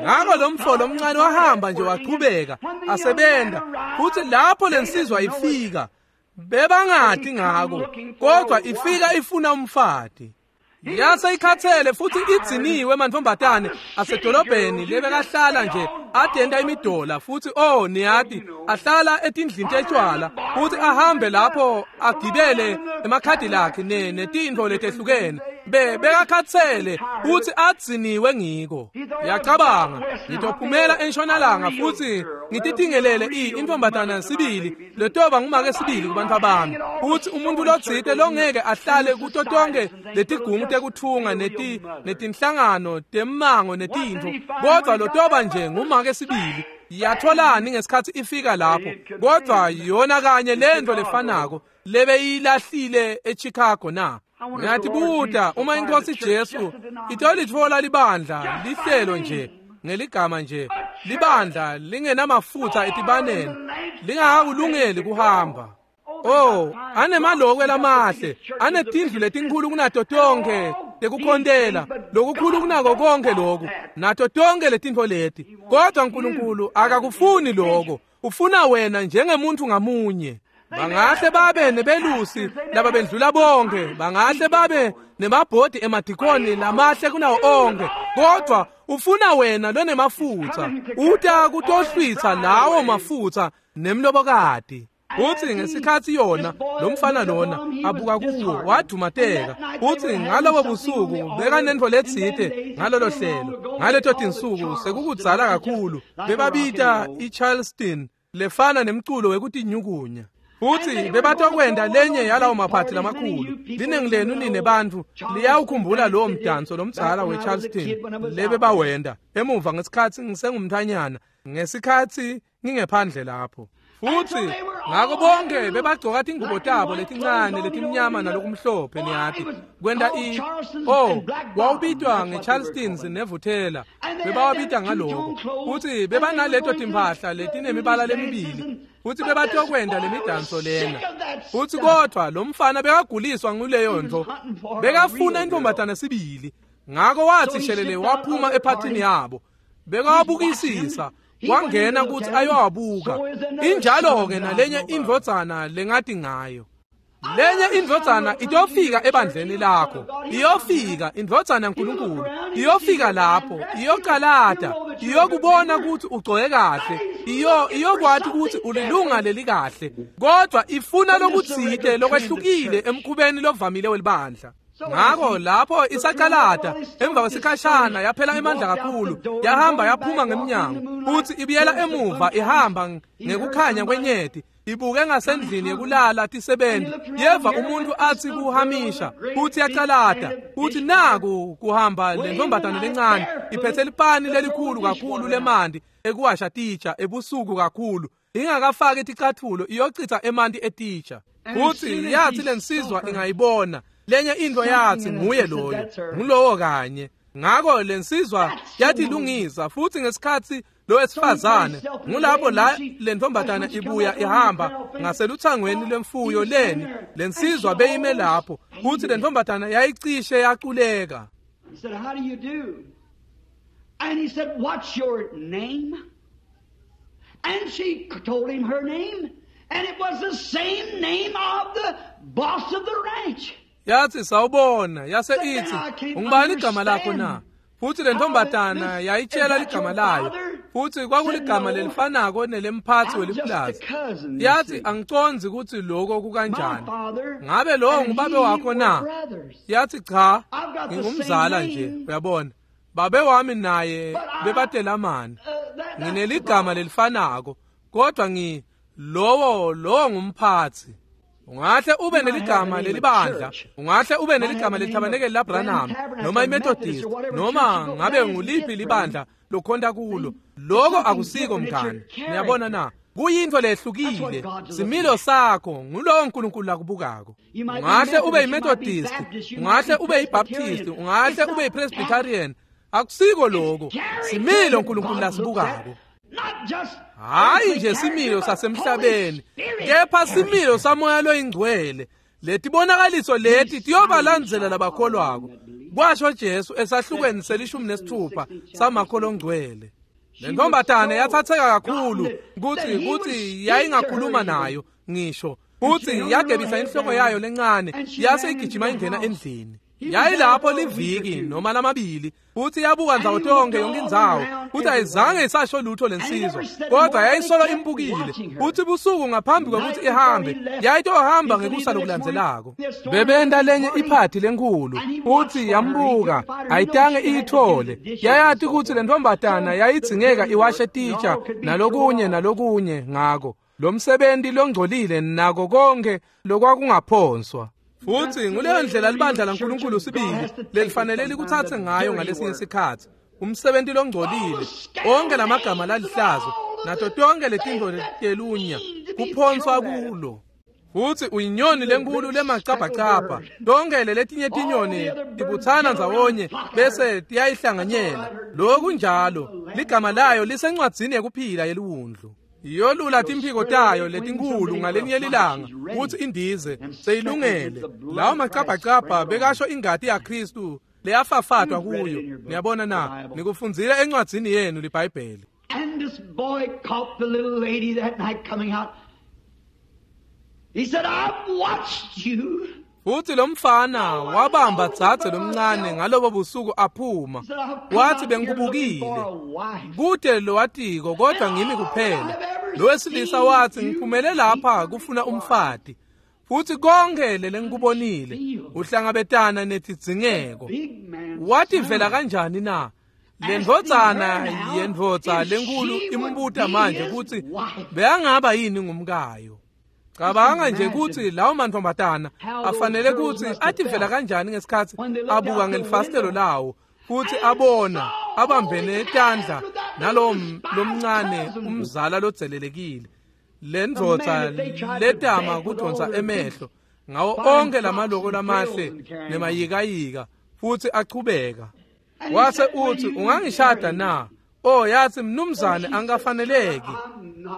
Ngako lo mfo lomncane wahamba nje waqhubeka asebenta, futhi lapho lensizwa ifika bebangati ngako, kodwa ifika ifuna umfati. Yase ikhathele futhi idziniwe mantombazane asedolobheni lebekahlala nje adenda imidola futhi oh niyati ahlala etindlini tetshwala futhi ahambe lapho agibele emakhadi lakhe ne netintfo letehlukene. Be bekakhathele futhi adziniwe ngiko. Yacabanga ngitophumela entshonalanga futhi ngititingelele intombazana sibili letoba ngumake sibili kubantu bami. Futhi umuntu lotsite longeke ahlale kuto tonke letigungu tekuthunga neti netinhlangano temmango netintfo kodwa lotoba nje ngumake sibili. Yatholani ngesikhathi ifika lapho kodwa yona kanye lento lefanako lebeyilahlile eChicago na. Ngiyatibuta uma inkosi Jesu itolitfola libandla lihlelo nje ngeligama nje libandla lingenamafutha etibaneni lingakakulungeli kuhamba. Oh, anemalokwe lamahle, anetindlu letinkhulu kunato tonke tekukhontela, lokukhulu kunako konke lokhu, nato tonke letintfo leti. Kodwa uNkulunkulu akakufuni lokho, ufuna wena njengemuntu ngamunye. Bangahle babe nebelusi laba bendlula bonke, bangahle babe nemabhodi emadikoni lamahle kunawo onke, kodwa ufuna wena lonemafutha, uta kutohlwitsa lawo mafutha nemlobokati. Uthi ngesikhathi yona lo mfana lona abuka kuwo wadumateka. Uthi ngalobo busuku bekanentfo letsite ngalolo hlelo. Ngaleto tinsuku sekukudzala kakhulu bebabita iCharleston lefana nemculo wekutinyukunya. Futhi bebatokwenda lenye yalawo maphathi lamakhulu. Liningi lenu nine bantfu liyawukhumbula lowo mdanso lomdzala weCharleston lebebawenda emuva ngesikhatsi ngisengumntanyana ngesikhatsi ngingephandle lapho. Futhi ngako bonke bebagcoka tingubo tabo letincane letimnyama nalokumhlophe niyati kwenta i oh wawubitwa ngeCharlestons nevuthela bebawabita ngaloko. Futhi bebanaleto timphahla letinemibala lemibili futhi bebatokwenda lemidanso lena. Futhi kodwa lo mfana bekaguliswa nguleyo nto, bekafuna intombazana sibili. Ngako wathi shelele waphuma ephathini yabo bekawabukisisa wangena ukuthi ayowabuka. Injalo-ke nalenye indvodzana lengati ngayo. Lenye indvodzana itofika ebandleni lakho, iyofika indvodzana yaNkulunkulu, iyofika lapho, iyocalata, iyokubona ukuthi ugcoke kahle, iyo iyokwati ukuthi ulilunga lelikahle, kodwa ifuna lokutsite lokwehlukile emkhubeni lovamile welibandla. Ngakho lapho isacalata emva kwesikhashana yaphela emandla kakhulu, yahamba yaphuma ngemnyango, futhi ibuyela emuva ihamba ngekukhanya kwenyeti, ibuke ngasendlini yekulala tisebenti, yeva umuntu athi kuhamisha, futhi yacalata, futhi naku kuhamba le ntombazane lencane iphethe lipani lelikhulu kakhulu lemanti ekuwasha titsha ebusuku kakhulu, ingakafaki ticathulo, iyochitha emanti etitsha. Futhi yathi lensizwa ingayibona lenye into yathi nguye loyo, ngulowo kanye. Ngakho lensizwa yathi lungisa, futhi ngesikhathi lo wesifazane ngulapho la lentombazana ibuya ihamba ngaseluthangweni lwemfuyo leni, lensizwa beyime lapho, futhi lentombazana yayicishe yaculeka. He said, "How do you do?" And he said, "What's your name?" And she told him her name, and it was the same name of the boss of the ranch. Yathi sawubona, yase ithi ungubani igama lakho na? Futhi lentombazana yayitshela ligama layo, futhi kwakuligama lelifanako nelemphathi welipulazi. Yathi angicondzi ukuthi lokho kukanjani, ngabe lowo ngubabe wakho na? Yathi cha, ngingumzala nje, uyabona, babe wami naye bebatelamana, ngineligama lelifanako, kodwa ngi lowo lowo ngumphathi. Ungahle ube neligama lelibandla, ungahle ube neligama lethabanekeli laBranham noma iMethodist noma ngabe nguliphi libandla lokhonta kulo, lokho akusiko mngani. Niyabona na? Kuyinto lehlukile, similo sakho ngulowo uNkulunkulu lakubukako. Ungahle ube yiMethodist, ungahle ube yiBaptist, ungahle ube yiPresbyterian, akusiko lokho, similo uNkulunkulu lasibukako. Hayi nje similo sasemhlabeni, kepha similo samoya loyingcwele. Letibonakaliso leti tiyobalandzela labakholwako, kwasho Jesu esahlukweni selishumi nesithupha samakholo ongcwele. Le ntombazane yathatheka kakhulu kuthi kuthi yayingakhuluma nayo ngisho, futhi yagebisa inhloko yayo lencane yase igijima ingena endlini. Yayilapho liviki noma lamabili, futhi yabuka ndzawo tonke yonke indzawo, futhi ayizange isasho lutho lensizwa, kodwa yayisolo imbukile. Futhi busuku ngaphambi kwekuthi ihambe, yayitohamba ngekusa lokulandzelako. Bebenta lenye iphathi lenkulu, futhi yambuka, ayitange iyithole. Yayati ukuthi lentombazana yayidzingeka iwashe titsha nalokunye nalokunye, ngako lo msebenzi longcolile nako konke lokwakungaphonswa. Futhi nguleyo ndlela libandla laNkulunkulu sibili lelifanele likuthathe ngayo ngalesinye isikhathi, umsebenzi longcolile, onke lamagama lalihlazo nato tonke letinto telunya kuphonswa kulo. Futhi uyinyoni lenkulu lemacabhacabha, tonke letinye tinyoni tibuthana ndzawonye bese tiyayihlanganyela. Lokhu njalo ligama layo lisencwadzini yekuphila yeliwundlu. Iyolula timphiko tayo letinkulu ngalenye lilanga kuthi indize seyilungele. Lawo macabhacabha bekasho ingati yaKristu leyafafatwa kuyo. Niyabona na? Nikufundzile encwadzini yenu liBhayibheli. And this boy caught the little lady that night coming out. He said, "I've watched you." Futhi lo mfana wabamba dzadze lomncane ngalobo busuku aphuma, wathi bengikubukile kude lowatiko, kodwa ngimi kuphela. Lo wesilisa wathi ngiphumele lapha kufuna umfati, futhi konke lengikubonile uhlangabetana netidzingeko. Wathi vela kanjani na? Le ndvodzana yendvodza lenkulu imbuta manje ukuthi beyangaba yini ngumkayo. Cabanga nje ukuthi lawo mantombazana afanele ukuthi ativela kanjani ngesikhathi abuka ngelifasitelo lawo, futhi abona abambene etandla nalowo lomncane umzala lodzelelekile, le ndvodza letama kudonsa emehlo ngawo onke lamaloko lamahle nemayikayika, futhi achubeka. Wase uthi ungangishada na? Oh, yathi mnumzane angikafaneleki.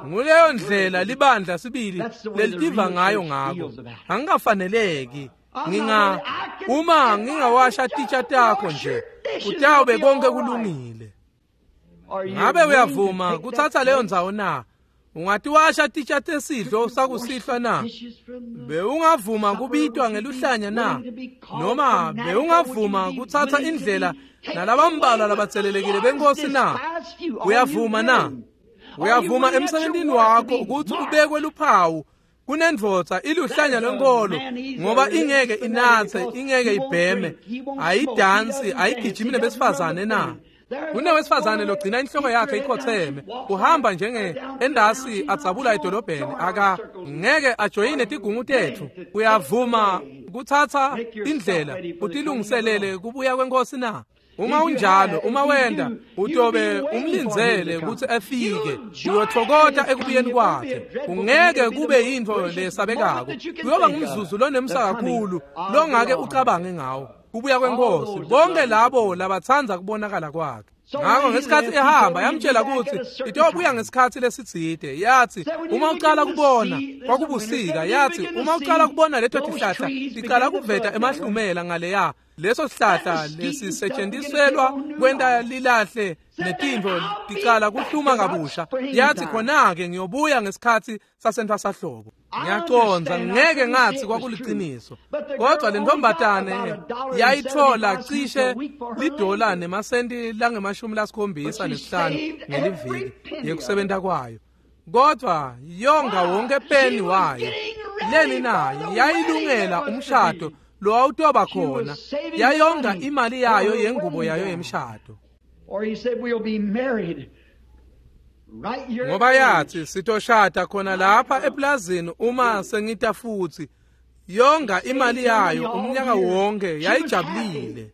Nguleyo ndlela libandla sibili lelitiva ngayo ngako. Angikafaneleki. Nginga uma ngingawasha titsha takho nje, kutawube konke kulungile. Ngabe uyavuma kuthatha leyo ndzawo na? Ungatiwasha titsha tesidlo sakusihlwa na? Bewungavuma kubitwa ngeluhlanya na? Noma bewungavuma kutsatsa indlela nalabambalwa labatselelekile benkosi na? Uyavuma na? Uyavuma emsebentini wakho ukuthi ubekwe luphawu kunendvodza iluhlanya lwenkolo ngoba ingeke inatse, ingeke ibheme, ayidansi, ayigijimi nebesifazane na? Kunewesifazane logcina inhloko yakhe ikhotheme, uhamba njenge endasi adzabula edolobheni, aka ngeke ajoyine tigungu tetfu. Uyavuma kutsatsa indlela utilungiselele kubuya kwenkosi na? Uma unjalo, uma wenda, utobe umlindzele kutsi afike, uyothokota ekubuyeni kwakhe. Ungeke kube yintfo lesabekako. Kuyoba ngumzuzu lonemsa kakhulu longake ucabange ngawo. Kubuya kwenkosi, bonke labo labatsandza kubonakala kwakhe. Ngakho ngesikhatsi ehamba yamtshela kutsi itobuya ngesikhatsi lesitsite. Yathi uma ucala kubona kwakubusika, yathi uma ucala kubona leto tihlahla ticala kuveta emahlumela ngaleya, leso sihlahla lesisetshentiselwa kwenta lilahle netintfo ticala kuhluma kabusha. Yathi khona-ke ngiyobuya ngesikhatsi sasentfwasahlobo. Ngiyacondza, ngeke ngathi kwakuliciniso, kodwa le ntombatane yayithola cishe lidola nemasenti langemashumi lasikhombisa nesihlanu ngeliviki yekusebenta kwayo, kodwa yonga wonke peni wayo. Leni na? Yayilungela umshado lowawutoba khona, yayonga imali yayo yengubo yayo yemshado. Ngoba yathi sitoshada khona lapha eplazini uma sengita futhi. Yonga imali yayo umnyaka wonke, yayijabulile.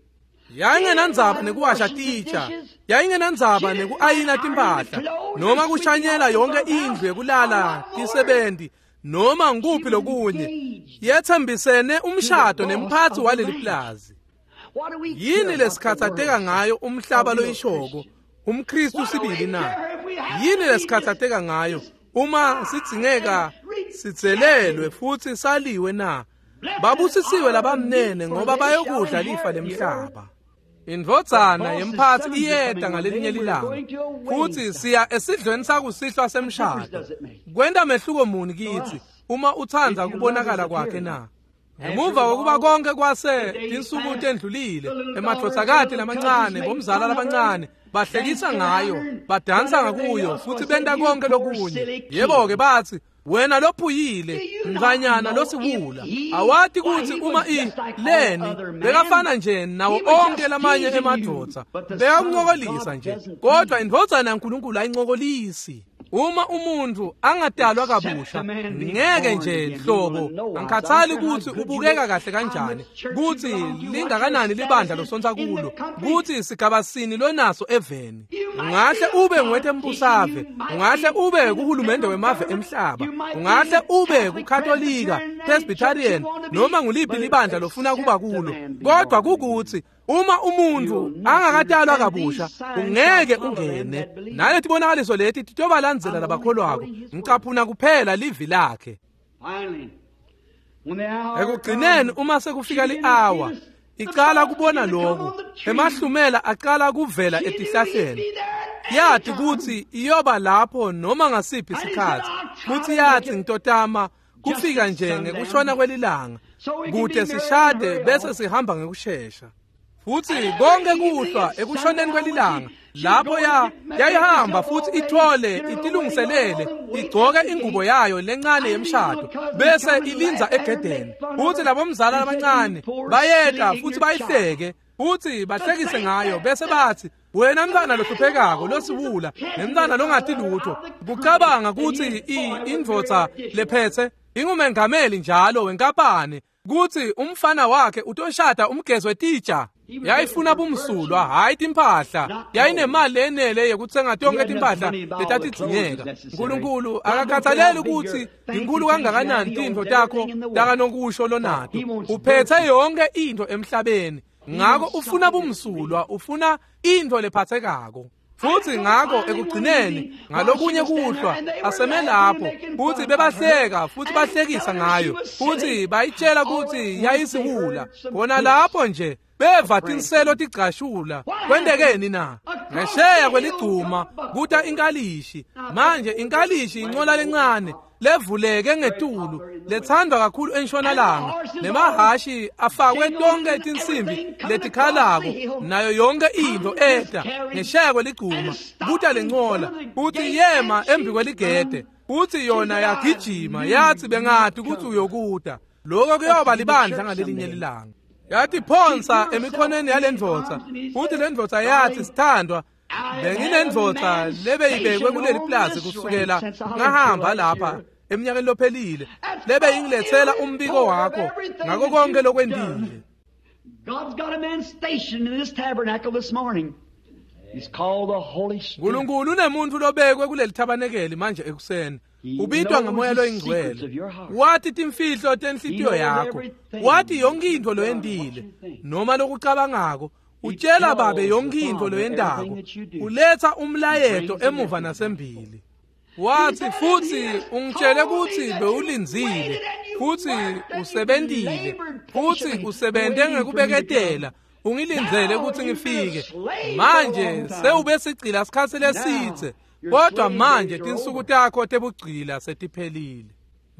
Yayingenandzaba nekuwasha titsha, yayingenandzaba nekuayina timpahla, noma kushanyela yonke indlu yekulala tisebenti, noma ngikuphi lokunye. Yethembisene umshado nemphatsi waleli plazi. Yini lesikhatsateka ngayo umhlaba loyishoko umKristu sibili na? Yini lesikhatsateka ngayo uma sidzingeka sitselelwe futhi saliwe na? Babusisiwe labamnene ngoba bayokudla lifa lemhlaba. Indvodzana yemphatsi iyeta ngalelinye lilanga, futhi siya esidlweni sakusihlwa semshado. Kwenta mehluko muni kitsi uma utsandza kubonakala kwakhe na? Ngemuva kokuba konke kwase tinsuku tendlulile, emadvodzakati lamancane, bomzala labancane bahlekisa ngayo, badansa ngakuyo futhi benta konke lokunye. Yebo-ke bathi, wena lophuyile, mntfanyana losiwula, awati kutsi uma i leni bekafana nje nawo onke lamanye emadvodza, bekakuncokolisa nje, kodwa indvodzana yaNkulunkulu ayincokolisi. Uma umuntu angadalwa kabusha, ngeke nje hlobo, angikhathali kutsi ubukeka kahle kanjani, kutsi lingakanani libandla losontsa kulo, kutsi sigaba sini lonaso eveni. Ungahle ube ngwetembusave, ungahle ube kuhulumende wemave emhlaba, ungahle ube kuKatolika, Presbyterian, noma nguliphi libandla lofuna kuba kulo, kodwa kukutsi uma umuntu angakatalwa kabusha, ungeke ungene. Naletibonakaliso leti titobalandzela labakholwako. Ngicaphuna kuphela livi lakhe. Ekugcineni uma sekufika li-awa, icala kubona lokhu, emahlumela aqala kuvela etihlahleni. Yathi kutsi iyoba lapho noma ngasiphi isikhatsi, futhi yathi ngitotama kufika nje ngekushona kwelilanga, kute sishade bese sihamba ngekushesha. Futhi konke kuhlwa ekushoneni kwelilanga, lapho ya yayihamba futhi ithole itilungiselele, igcoke ingubo yayo lencane yemshado, bese ilinza egedeni. Futhi labomzala labancane bayeta futhi bayihleke, futhi bahlekise ngayo, bese bathi, wena mntwana lohluphekako losiwula, nemntwana longati lutho, kucabanga kutsi indvodza lephethe ingumengameli njalo wenkampani, kutsi umfana wakhe utoshada umgezo wetitsha. Yayifuna bumsulwa, hhayi timphahla. Yayinemali lenele yekutsenga tonke timphahla letatidzingeka. Nkulunkulu akakhathaleli kutsi inkulu kangakanani tintfo takho takanokusho lonato. Uphethe yonke intfo emhlabeni. Ngako ufuna bumsulwa, ufuna intfo lephatsekako. Futsi ngako ekugcineni ngalokunye kuhlwa aseme lapho futsi bebahleka futsi bahlekisa ngayo futsi bayitshela kutsi yayisiwula. Khona lapho nje beva tinselo tigcashula. Kwentekeni na? Ngesheya kweligcuma kuta inkalishi. Manje inkalishi incola lencane levuleke ngetulu lethandwa kakhulu entshonalanga, nemahashi afakwe tonke tinsimbi letikhalako nayo yonke intfo eta ngesheya kweligcuma kuta lencola futsi yema embi kweligede futsi yona yagijima yathi bengati kutsi uyokuta. Lokho kuyoba libandla ngalelinye lilanga. Yatiphonsa emikhonweni yalendvodza futsi lendvodza yathi, sithandwa, benginendvodza lebeyibekwe kuleli plazi kusukela ngahamba lapha eminyakeni lophelile lebeyingilethela umbiko wakho ngako konke lokwentile. God's got a man stationed in this tabernacle this morning. He's called the Holy Spirit. Nkulunkulu unemuntu lobekwe kuleli thabanekeli manje ekuseni. Ubitwa ngamoya loyingcwele. Wathi timfihlo tenhlitiyo yakho, wathi yonke intfo loyentile noma lokucabangako. Utshela babe yonke intfo loyentako, uletha umlayeto emuva nasembili. Wathi futsi ungitshele kutsi bewulindzile futsi usebentile futsi usebente ngekubeketela, ungilindzele kutsi ngifike. Manje sewube sigcila sikhatsi lesitse, kodwa manje tinsuku takho tebugcila setiphelile.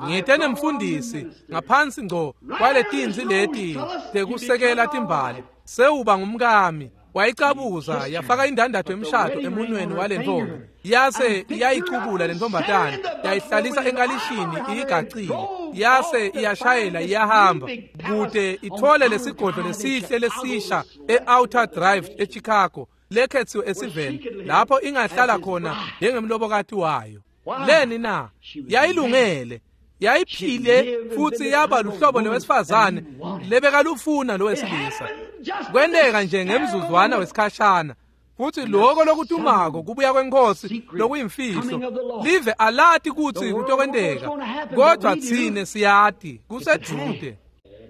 Ngite nemfundisi ngaphansi ngco kwaletinzi leti tekusekela timbali, sewuba ngumkami. Wayicabuza yafaka indandatho emshado emunweni walentombi, yase iyayicubula lentombatana yayihlalisa enkalishini iyigacile, yase iyashayela iyahamba kute ithole lesigodlo lesihle lesisha e-Outer Drive eChicago lekhethiwe esiveni lapho ingahlala khona njengemlobokati wayo. Leni na? Yayilungele, yayiphile futsi yaba luhlobo lwesifazane lebekalufuna lowesilisa. Kwenteka nje ngemzuzwana wesikhashana futsi lokho lokutumako kubuya kwenkosi lokuyimfihlo live alati kutsi kutokwenteka, kodwa tsine siyati kusedude.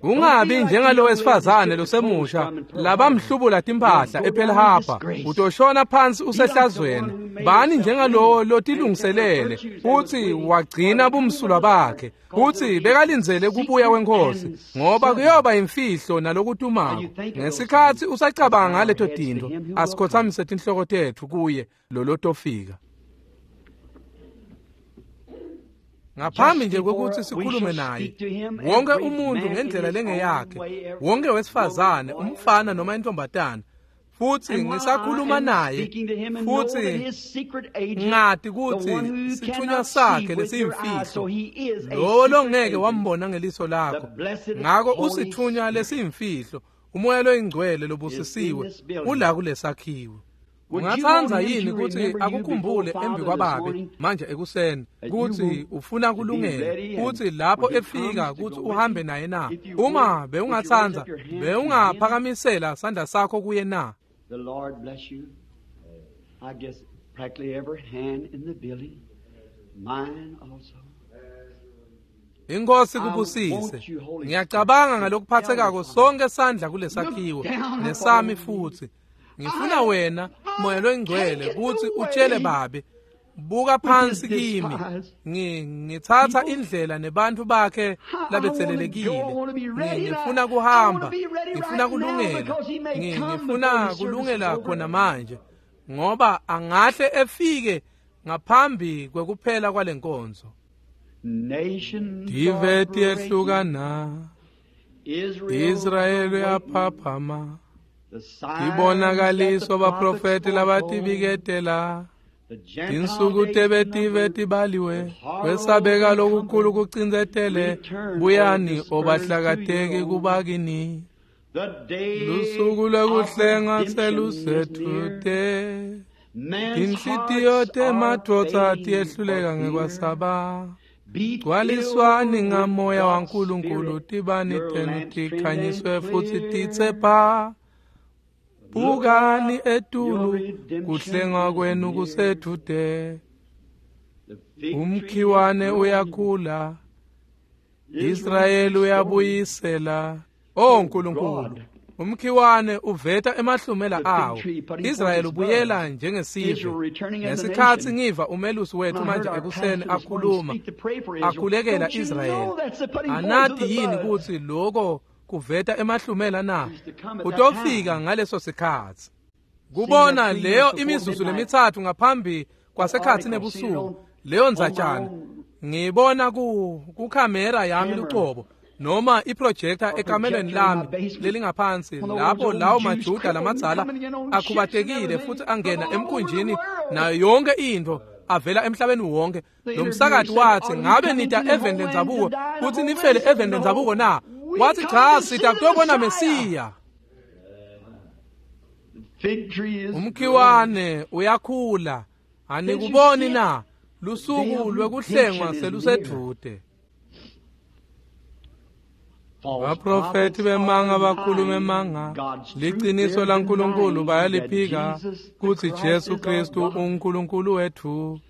Ungabi njengalo wesifazane losemusha labamhlubula timphahla ePearl Harbor, utoshona phansi usehlazweni. Bani njengalowo lotilungiselele futsi wagcina bumsulwa bakhe futsi bekalindzele kubuya kwenkosi, ngoba kuyoba imfihlo nalokutumako. Ngesikhatsi usacabanga ngaleto tintfo, asikhothamise tinhloko tetfu kuye lolotofika. Ngaphambi nje kwekutsi sikhulume naye, wonke umuntu ngendlela lengeyakhe, wonke wesifazane, umfana noma intombatana, futsi ngisakhuluma naye futsi ngati kutsi sithunywa sakhe lesiyimfihlo, lowo longeke wambona ngeliso lakho, ngako usithunywa lesiyimfihlo, umoya loyingcwele lobusisiwe ula kulesakhiwo. Ungatsandza yini kutsi akukhumbule embi kwababe manje ekuseni kutsi ufuna kulungela kutsi lapho efika kutsi uhambe naye na? Uma bewungatsandza, bewungaphakamisela sandla sakho kuye na? The Lord bless you. I guess practically every hand in the building, mine also. Inkosi kubusise. Ngiyacabanga ngalokuphathekako sonke sandla kulesakhiwo nesami futhi. Ngifuna wena moya loyingcwele kutsi utshele babe, buka phansi kimi, ngitsatsa indlela nebantfu bakhe labetselelekile. Ngifuna kuhamba, ngifuna kulungela, ngifuna kulungela khona manje, ngoba angahle efike ngaphambi kwekuphela kwalenkonzo. Tive tiyehlukana, Israyeli uyaphaphama, tibonakaliso baprofeti labatibiketela, tinsuku tebetive tibaliwe, kwesabeka lokukhulu kucindzetele, buyani obahlakateki kubakini. Lusuku lwekuhlenga selusedvute, tinhlitiyo temadvodza tiyehluleka ngekwesaba. Gcwaliswani ngamoya waNkulunkulu, tibani tenu tikhanyiswe futsi titsepha. Bukani etulu, kuhlengwa kwenu kusedvute. Umkhiwane uyakhula, Israyeli uyabuyisela. O Nkulunkulu, Umkhiwane uveta emahlumela awo. Israel ubuyela njengesive. Ngesikhatsi ngiva umelusi wethu manje ekuseni akhuluma akhulekela Israel, anati yini kutsi loko kuveta emahlumela na? Utofika ngaleso sikhatsi. Kubona leyo imizuzu lemitsatfu ngaphambi kwasekhatsi nebusuku, leyo ndzatshana ngibona ku kukhamera yami lucobo noma iprojector ekamelweni lami lelingaphansi, lapho lawo maJuda lamadzala akhubatekile futhi angena emkhunjini nayo yonke into avela emhlabeni wonke. Lo msakathi wathi, ngabe nita eveni lendzabuko kutsi nifele eveni lendzabuko na? Wathi, cha, sita kutobona Mesiya. Umkhiwane uyakhula, anikuboni na? Lusuku lwekuhlengwa selusedvute. Baprofethi bemanga bakhuluma emanga, liciniso laNkulunkulu bayaliphika kutsi Jesu Kristu uNkulunkulu wethu.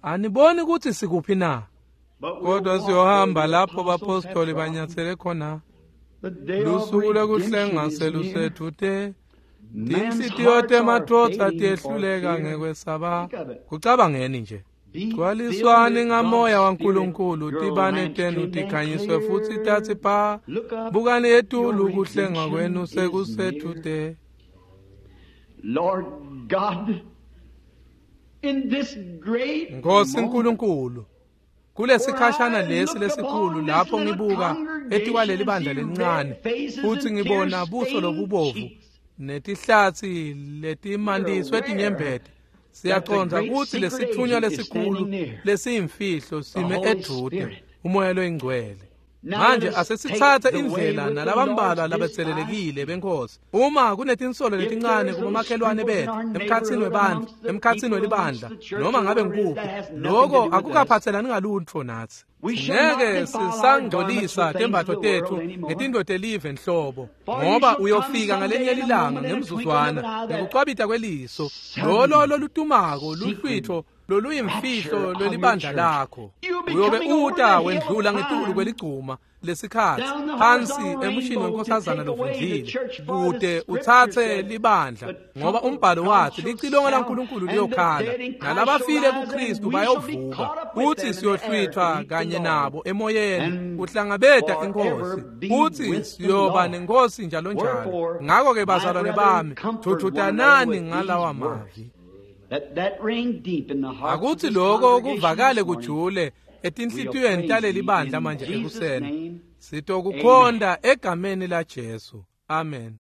Aniboni kutsi sikuphi na? Kodwa siyohamba lapho bapostoli banyatsele khona. Lusuku lwekuhlenga selusedvute. Tinhlitiyo temadvodza tiyehluleka ngekwesaba. Kucabangeni nje. Gcwaliswani ngamoya waNkulunkulu, tibane tenu tikhanyiswe futsi tatsi pa. Bukani etulu, kuhlengwa kwenu sekusedvute. Lord God, in this great Nkosi Nkulunkulu, kulesikhashana lesi lesikhulu lapho ngibuka etikwaleli bandla lelincane futhi ngibona buso lobubovu netihlatsi letimandiswe tinyembeti, siyacondza kutsi lesitfunywa lesikhulu lesiyimfihlo sime edvute, umoya loyingcwele. Manje asesitsatse indlela nalabambalwa labetselelekile benkosi. Uma kunetinsolo letincane kubomakhelwane bethu, emkhatsini webantfu, emkhatsini welibandla, noma ngabe ngikuphi, loko akukaphatselani ngalutfo natsi. Ngeke sisangcolisa tembatfo tetfu ngetintfo telive nhlobo, ngoba uyofika ngalenye lilanga ngemzuzwana ngekucwabita kweliso, lolo lolutumako luhlwitfo loluyimfihlo lwelibandla lakho. Uyobe uta wendlula ngetulu kweligcuma lesikhatsi phansi emushini wenkosazana lovundlile kute utsatse libandla, ngoba umbhalo wathi licilongo laNkulunkulu liyokhala nalabafile kuKristu bayovuka, kuthi siyohlwithwa kanye nabo emoyeni kuhlangabeta inkosi, kuthi siyoba nenkosi njalo njalo. Ngakho-ke bazalwane bami, thuthutanani ngalawa mavi. Akuthi lokho kuvakale kujule etinhlitiyweni taleli bandla manje ekuseni. Sitokukhonda egameni laJesu. Amen.